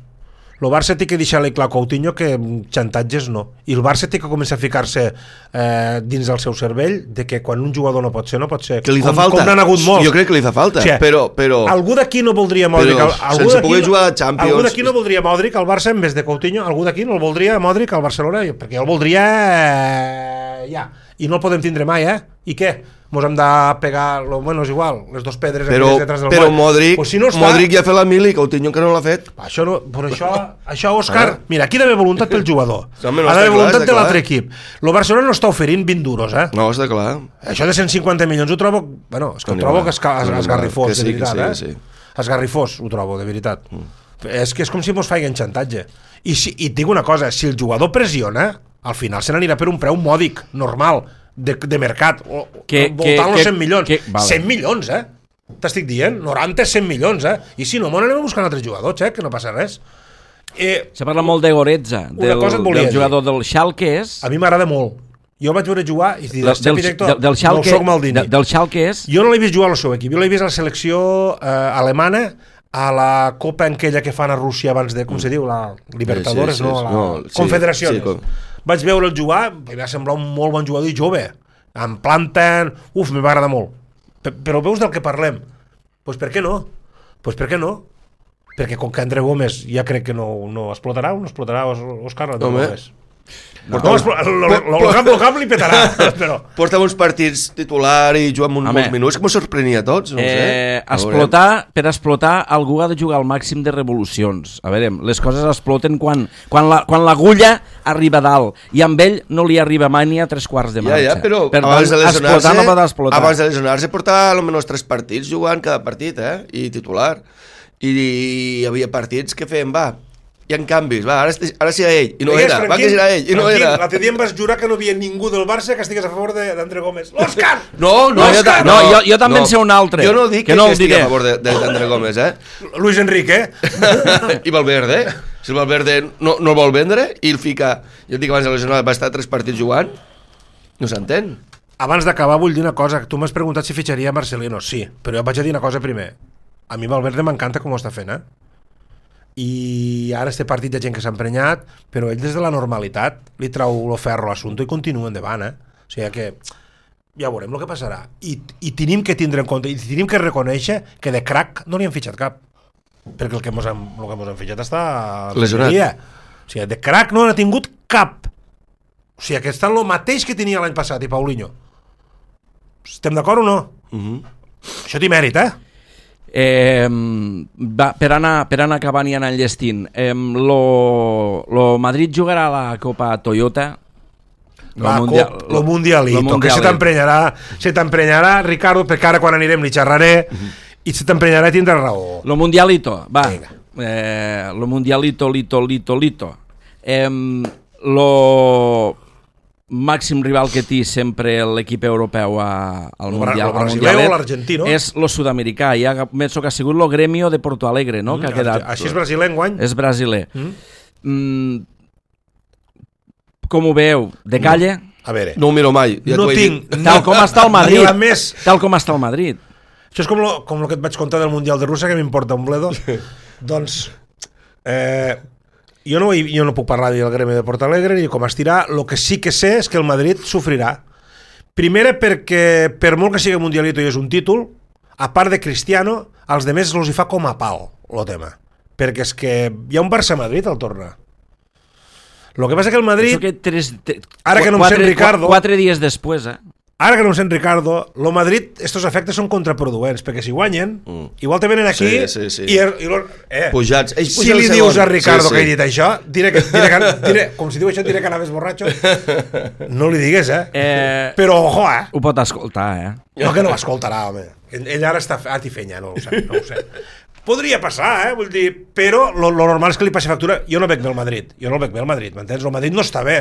El Barça té que deixar-li clar a Coutinho que xantatges no. I el Barça té que començar a ficar-se eh, dins del seu cervell de que quan un jugador no pot ser, no pot ser. Que li fa com, falta. Com n'han hagut molts. Jo crec que li fa falta, o sigui, però, però... Algú d'aquí no voldria Modric... Però algú sense poder jugar a Champions... Algú d'aquí no voldria Modric al Barça en vez de Coutinho. Algú d'aquí no el voldria Modric al Barcelona, perquè el voldria... Eh, ja. I no el podem tindre mai, eh? I què? Mos hem de pegar, lo, bueno, és igual, les dos pedres però, detrás del però moll. Modric, pues si no està, Modric ja ha fet la mili, Coutinho que no l'ha fet. Això no, però això, això Òscar, ah. mira, aquí ha d'haver voluntat pel jugador, no, no ha d'haver voluntat clar, de l'altre equip. El Barcelona no està oferint vint duros, eh? No, està clar. Això de cent cinquanta milions ho trobo, bueno, és que ho trobo que és, és, és esgarrifós, sí, de veritat, sí, eh? Sí. Esgarrifós, ho trobo, de veritat. Mm. És que és com si mos feien xantatge. I, si, i et dic una cosa, si el jugador pressiona, al final se n'anirà per un preu mòdic, normal, de, de mercat, o, que, voltant els cent milions. Que, vale. cent milions, eh? T'estic dient, noranta, cent milions, eh? I si no, m'ho anem a buscar altres jugadors, eh? Que no passa res. Eh, Se parla molt de Goretza, del, del jugador del Schalke és... A mi m'agrada molt. Jo vaig veure jugar i diràs, del, director, del, del Schalke, no soc Maldini. De, del Schalke és... Jo no l'he vist jugar al seu equip, jo l'he vist a la selecció eh, alemana, a la copa aquella que fan a Rússia abans de, com se diu, la Libertadores, sí, sí, sí, no? La no, sí, Confederacions. sí, com... Vaig veure'l jugar, em va semblar un molt bon jugador i jove. Em planten... Uf, m'hi va agradar molt. Però veus del que parlem? Doncs pues per què no? Doncs pues per què no? Perquè com que André Gómez ja crec que no, no explotarà, no explotarà Òscar, no, no, no, no, el cap, cap li petarà, però... Porta uns partits titular i juga amb uns molts minuts, que m'ho sorprenia a tots, no ho sé. Eh, explotar, per explotar, algú ha de jugar al màxim de revolucions. A veure, les coses exploten quan, quan, la, quan l'agulla arriba a dalt, i amb ell no li arriba mai ni a tres quarts de marxa. Ja, ja, però per abans tant, de lesionar-se, no pot explotar. abans de lesionar-se portava almenys tres partits jugant cada partit, eh? I titular. I hi havia partits que feien, va, hi ha canvis, va, ara, ara sí era ell, i no Deies, era, Franquín, va que era ell, i no Franquín, era. L'altre dia em vas jurar que no havia ningú del Barça que estigués a favor d'André Gómez. L'Òscar! No, no, jo, no, no, jo, jo també no, en sé un altre. Jo no dic que, que, no que estigui diré. a favor d'André Gómez, eh? Luis Enrique, eh? I Valverde, si el Valverde no, no el vol vendre i el fica, jo et dic abans de lesionar va estar tres partits jugant, no s'entén. Abans d'acabar vull dir una cosa, tu m'has preguntat si fitxaria Marcelino, sí, però jo vaig a dir una cosa primer. A mi Valverde m'encanta com ho està fent, eh? I ara este partit de gent que s'ha emprenyat, però ell des de la normalitat li trau el ferro a l'assumpte i continua endavant, eh? O sigui que ja veurem el que passarà. I, i tenim que tindre en compte, i tenim que reconèixer que de crack no n'hi han fitxat cap, perquè el que mos han, el que mos han fitxat està lesionat. O sigui, de crack no n'ha tingut cap. O sigui, que està el mateix que tenia l'any passat i Paulinho. Estem d'acord o no? Uh-huh. Això té mèrit, eh? Eh, va, per, anar, per anar acabant i anar enllestint, eh, lo, lo Madrid jugarà a la Copa Toyota, Va, lo, mundial, lo, lo mundialito, lo mundial, que se t'emprenyarà, se t'emprenyarà, Ricardo, perquè ara quan anirem li xerraré, uh-huh. i se t'emprenyarà i tindrà raó. Lo mundialito, va, eh, lo mundialito, lito, lito, lito. Eh, lo màxim rival que té sempre l'equip europeu a, al lo Mundial, el brasiler o l'argentí, no? És lo sud-americà, ja penso que ha sigut lo Gremio de Porto Alegre, no? Mm, que ha quedat, així és brasiler enguany? És brasiler. Mm. Mm, com ho veu? De calle? A veure, no ho miro mai. Ja no tinc... Tal com està el Madrid. Més... Tal com està el Madrid. Això és com lo, com lo que et vaig contar del Mundial de Rússia, que m'importa un bledo. Doncs, eh, jo, no, jo no puc parlar del gremi de Portalegre ni com estirar. El que sí que sé és que el Madrid sofrirà. Primera perquè, per molt que sigui mundialito i és un títol, a part de Cristiano, als demés els hi fa com a pal, el tema. Perquè és que hi ha un Barça-Madrid al torna. Lo que passa que el Madrid... Que tres, te, ara que no em sent Ricardo... Quatre dies després, eh? Ara que no em sent Ricardo, lo Madrid, estos efectes són contraproduents, perquè si guanyen, mm. igual te venen aquí... Sí, sí, sí. I, i, eh, pujats. Ells si li dius a Ricardo sí, sí. que he dit això, diré que, diré que, diré, com si diu això, diré que anaves borratxo. No li digues, eh? eh? Però, ojo, eh? Ho pot escoltar, eh? No, que no l'escoltarà, home. Ell ara està a tifenya, no ho sé, no ho sé. Podria passar, eh? Vull dir, però lo, lo normal és que li passi factura. Jo no veig bé el Madrid, jo no el veig bé el Madrid, m'entens? El Madrid no està bé.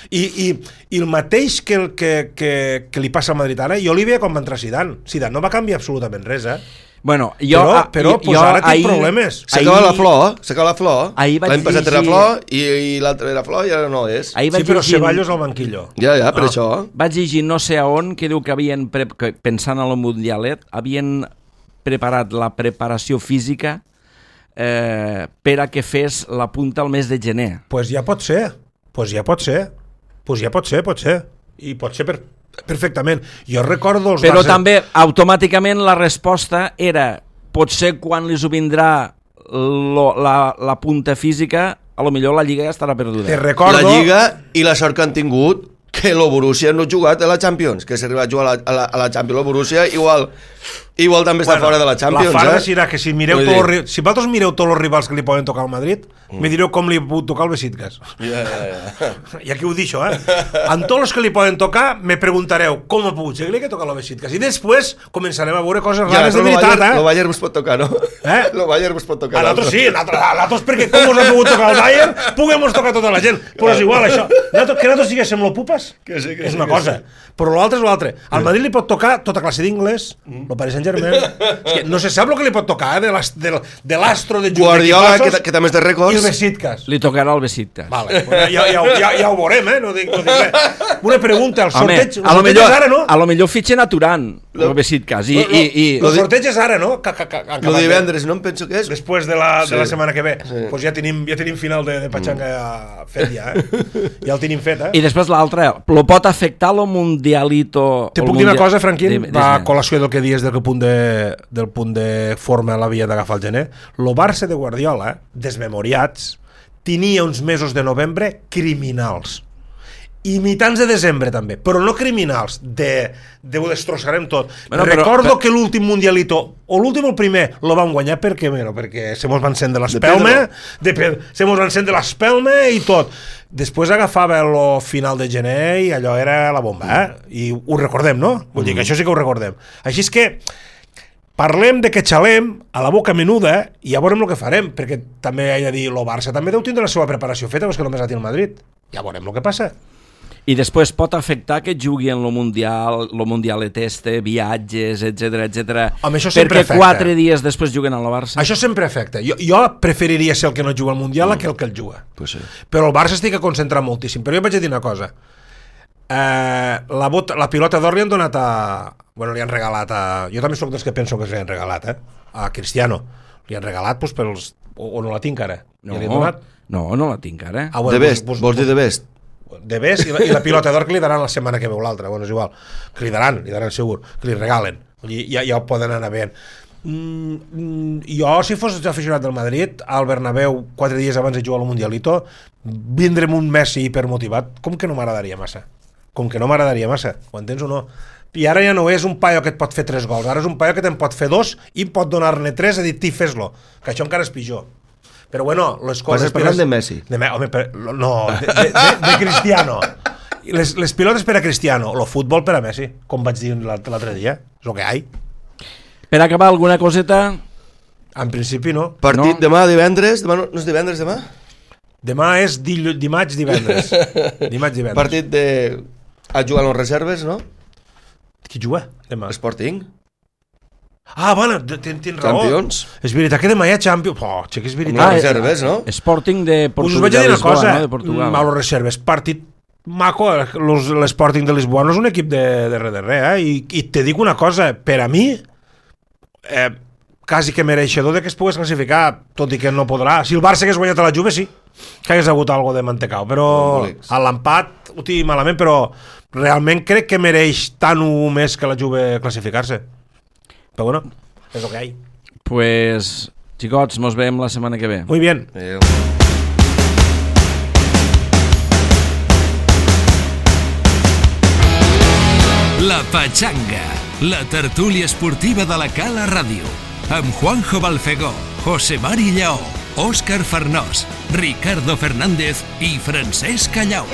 I, i, i el mateix que, el, que, que, que li passa al Madrid ara, jo li veia quan va entrar Zidane. Zidane no va canviar absolutament res, eh? Bueno, jo, però però jo, pues ara tinc problemes. S'acaba la flor, s'acaba la flor. L'any passat llegir... era flor i, i l'altre era flor i ara no és. Sí, però llegint... Ceballos al banquillo. Ja, ja, per ah. això. Vaig llegir no sé a on que diu que havien, pre... que, pensant en el Mundialet, havien preparat la preparació física eh, per a que fes la punta al mes de gener. Pues ja pot ser, pues ja pot ser, pues ja pot ser, pot ser. I pot ser per... perfectament. Jo recordo els però bases... també automàticament la resposta era potser quan li ho vindrà lo, la, la punta física a lo millor la Lliga ja estarà perduda. Te recordo... La Lliga i la sort que han tingut que el Borussia no ha jugat a la Champions, que s'arriba a jugar a la, a la, a la Champions el Borussia igual, igual també està bueno, fora de la Champions. La farda eh? serà que si mireu tot los, si vosaltres mireu tots els rivals que li poden tocar al Madrid, mm. me direu com li ha pogut tocar el Besiktas. Ja, ja, ja. I aquí ho deixo, eh? En tots els que li poden tocar me preguntareu com ha pogut ser que li ha tocat el Besiktas. I després començarem a veure coses rares ja, de veritat, Bayern, eh? El Bayern us pot tocar, no? Eh? El Bayern us pot tocar. A l'altre sí, a l'altre perquè com us ha pogut tocar el Bayern, puguem tocar tota la gent. Però és igual, això. Que nosaltres siguéssim lo pupes, que sí, que és sí, una que cosa. sí. Però l'altre és l'altre. Al Madrid li pot tocar tota classe d'inglès, el Paris Saint-Germain. És que no se sap el que li pot tocar, eh? De l'astro de Guardiola, que, que també és de rècords. I el Besiktas. Li tocarà el Besiktas. Vale, pues ja, ja, ja, ja ho veurem, eh? No dic, no dic res. Una pregunta, el sorteig, Home, el sorteig és ara, no? A lo millor fitxen a Turan, el Besiktas. I, i, i... El sorteig és ara, no? El de divendres, no em penso que és. Després de la, sí. de la setmana que ve. Sí. Pues ja tenim, ja tenim final de, de Pachanga mm. fet ja, eh? Ja el tenim fet, eh? I després l'altre, lo pot afectar lo mundialito... Te puc dir una cosa, Franquín? Va a col·lació del que dies del punt de, del punt de forma l'havia d'agafar el gener. Lo Barça de Guardiola, desmemoriats, tenia uns mesos de novembre criminals. I mitjans de desembre també, però no criminals, de, de ho destrossarem tot. Bueno, Recordo però, però... que l'últim mundialito, o l'últim o el primer, lo van guanyar perquè, bueno, perquè se mos van encendre l'espelma, de se mos van encendre l'espelma i tot. Després agafava el final de gener i allò era la bomba, eh? I ho recordem, no? Vull dir que això sí que ho recordem. Així és que parlem de que xalem a la boca menuda i ja veurem el que farem, perquè també he de dir, el Barça també deu tindre la seva preparació feta, però és que només la té el Madrid. Ja veurem el que passa. I després pot afectar que jugui en lo Mundial, lo Mundialet este, viatges, etcètera, etcètera, perquè afecta. quatre dies després juguen al Barça. Això sempre afecta. Jo, jo preferiria ser el que no juga al Mundial mm. que el que el juga. Pues sí. Però el Barça estic a concentrar moltíssim. Però jo vaig dir una cosa. Eh, la, bota, la pilota d'or li han donat a... Bueno, li han regalat a... Jo també soc dels que penso que li han regalat, eh? A Cristiano. Li han regalat pues, pels... O, o no la tinc ara? No, ja li han donat? no, no la tinc ara. Ah, bueno, de best, pues, vols dir de best? De best i la, i la pilota d'or que li daran la setmana que veu l'altra, bueno, és igual, que li daran, li daran segur, que li regalen, i ja, ja ho poden anar veient. Mm, jo, si fos aficionat del Madrid, al Bernabéu, quatre dies abans de jugar al Mundialito, vindre'm un Messi hipermotivat, com que no m'agradaria massa, com que no m'agradaria massa, ho entens o no? I ara ja no és un paio que et pot fer tres gols, ara és un paio que te'n pot fer dos i pot donar-ne tres i dir, ti, fes-lo, que això encara és pitjor. Però bueno, les coses... Estàs parlant de Messi? De, home, per, no, de, de, de, de Cristiano. Les, les pilotes per a Cristiano, el futbol per a Messi, com vaig dir l'altre dia, és el que hi ha. Per acabar, alguna coseta? En principi no. Partit no. demà, divendres? Demà no, no és divendres, demà? Demà és dill, dimarts, divendres. Dimarts, divendres. Partit de... A jugar a les reserves, no? Qui juga demà? Sporting. Ah, bueno, tens raó. Champions. És veritat que demà hi ha Champions. Oh, que és veritat. Ah, reserves, no? Sporting de Portugal. Us vaig dir una cosa, no? De Portugal. Malo reserves. Partit maco, l'Sporting de Lisboa no és un equip de, de res de res, eh? I, I te dic una cosa, per a mi, eh, quasi que mereixedor de que es pogués classificar, tot i que no podrà. Si el Barça hagués guanyat a la Juve, sí, que hagués hagut algo de mantecao, però a l'empat ho tinc malament, però realment crec que mereix tant o més que la Juve classificar-se. Però bueno, és el que hi ha. Pues, xicots, mos veiem la setmana que ve. Muy bien. Adéu. La Pachanga, la tertúlia esportiva de la Cala Ràdio, amb Juanjo Balfegó, José Mari Lleó, Òscar Farnós, Ricardo Fernández i Francesc Callau.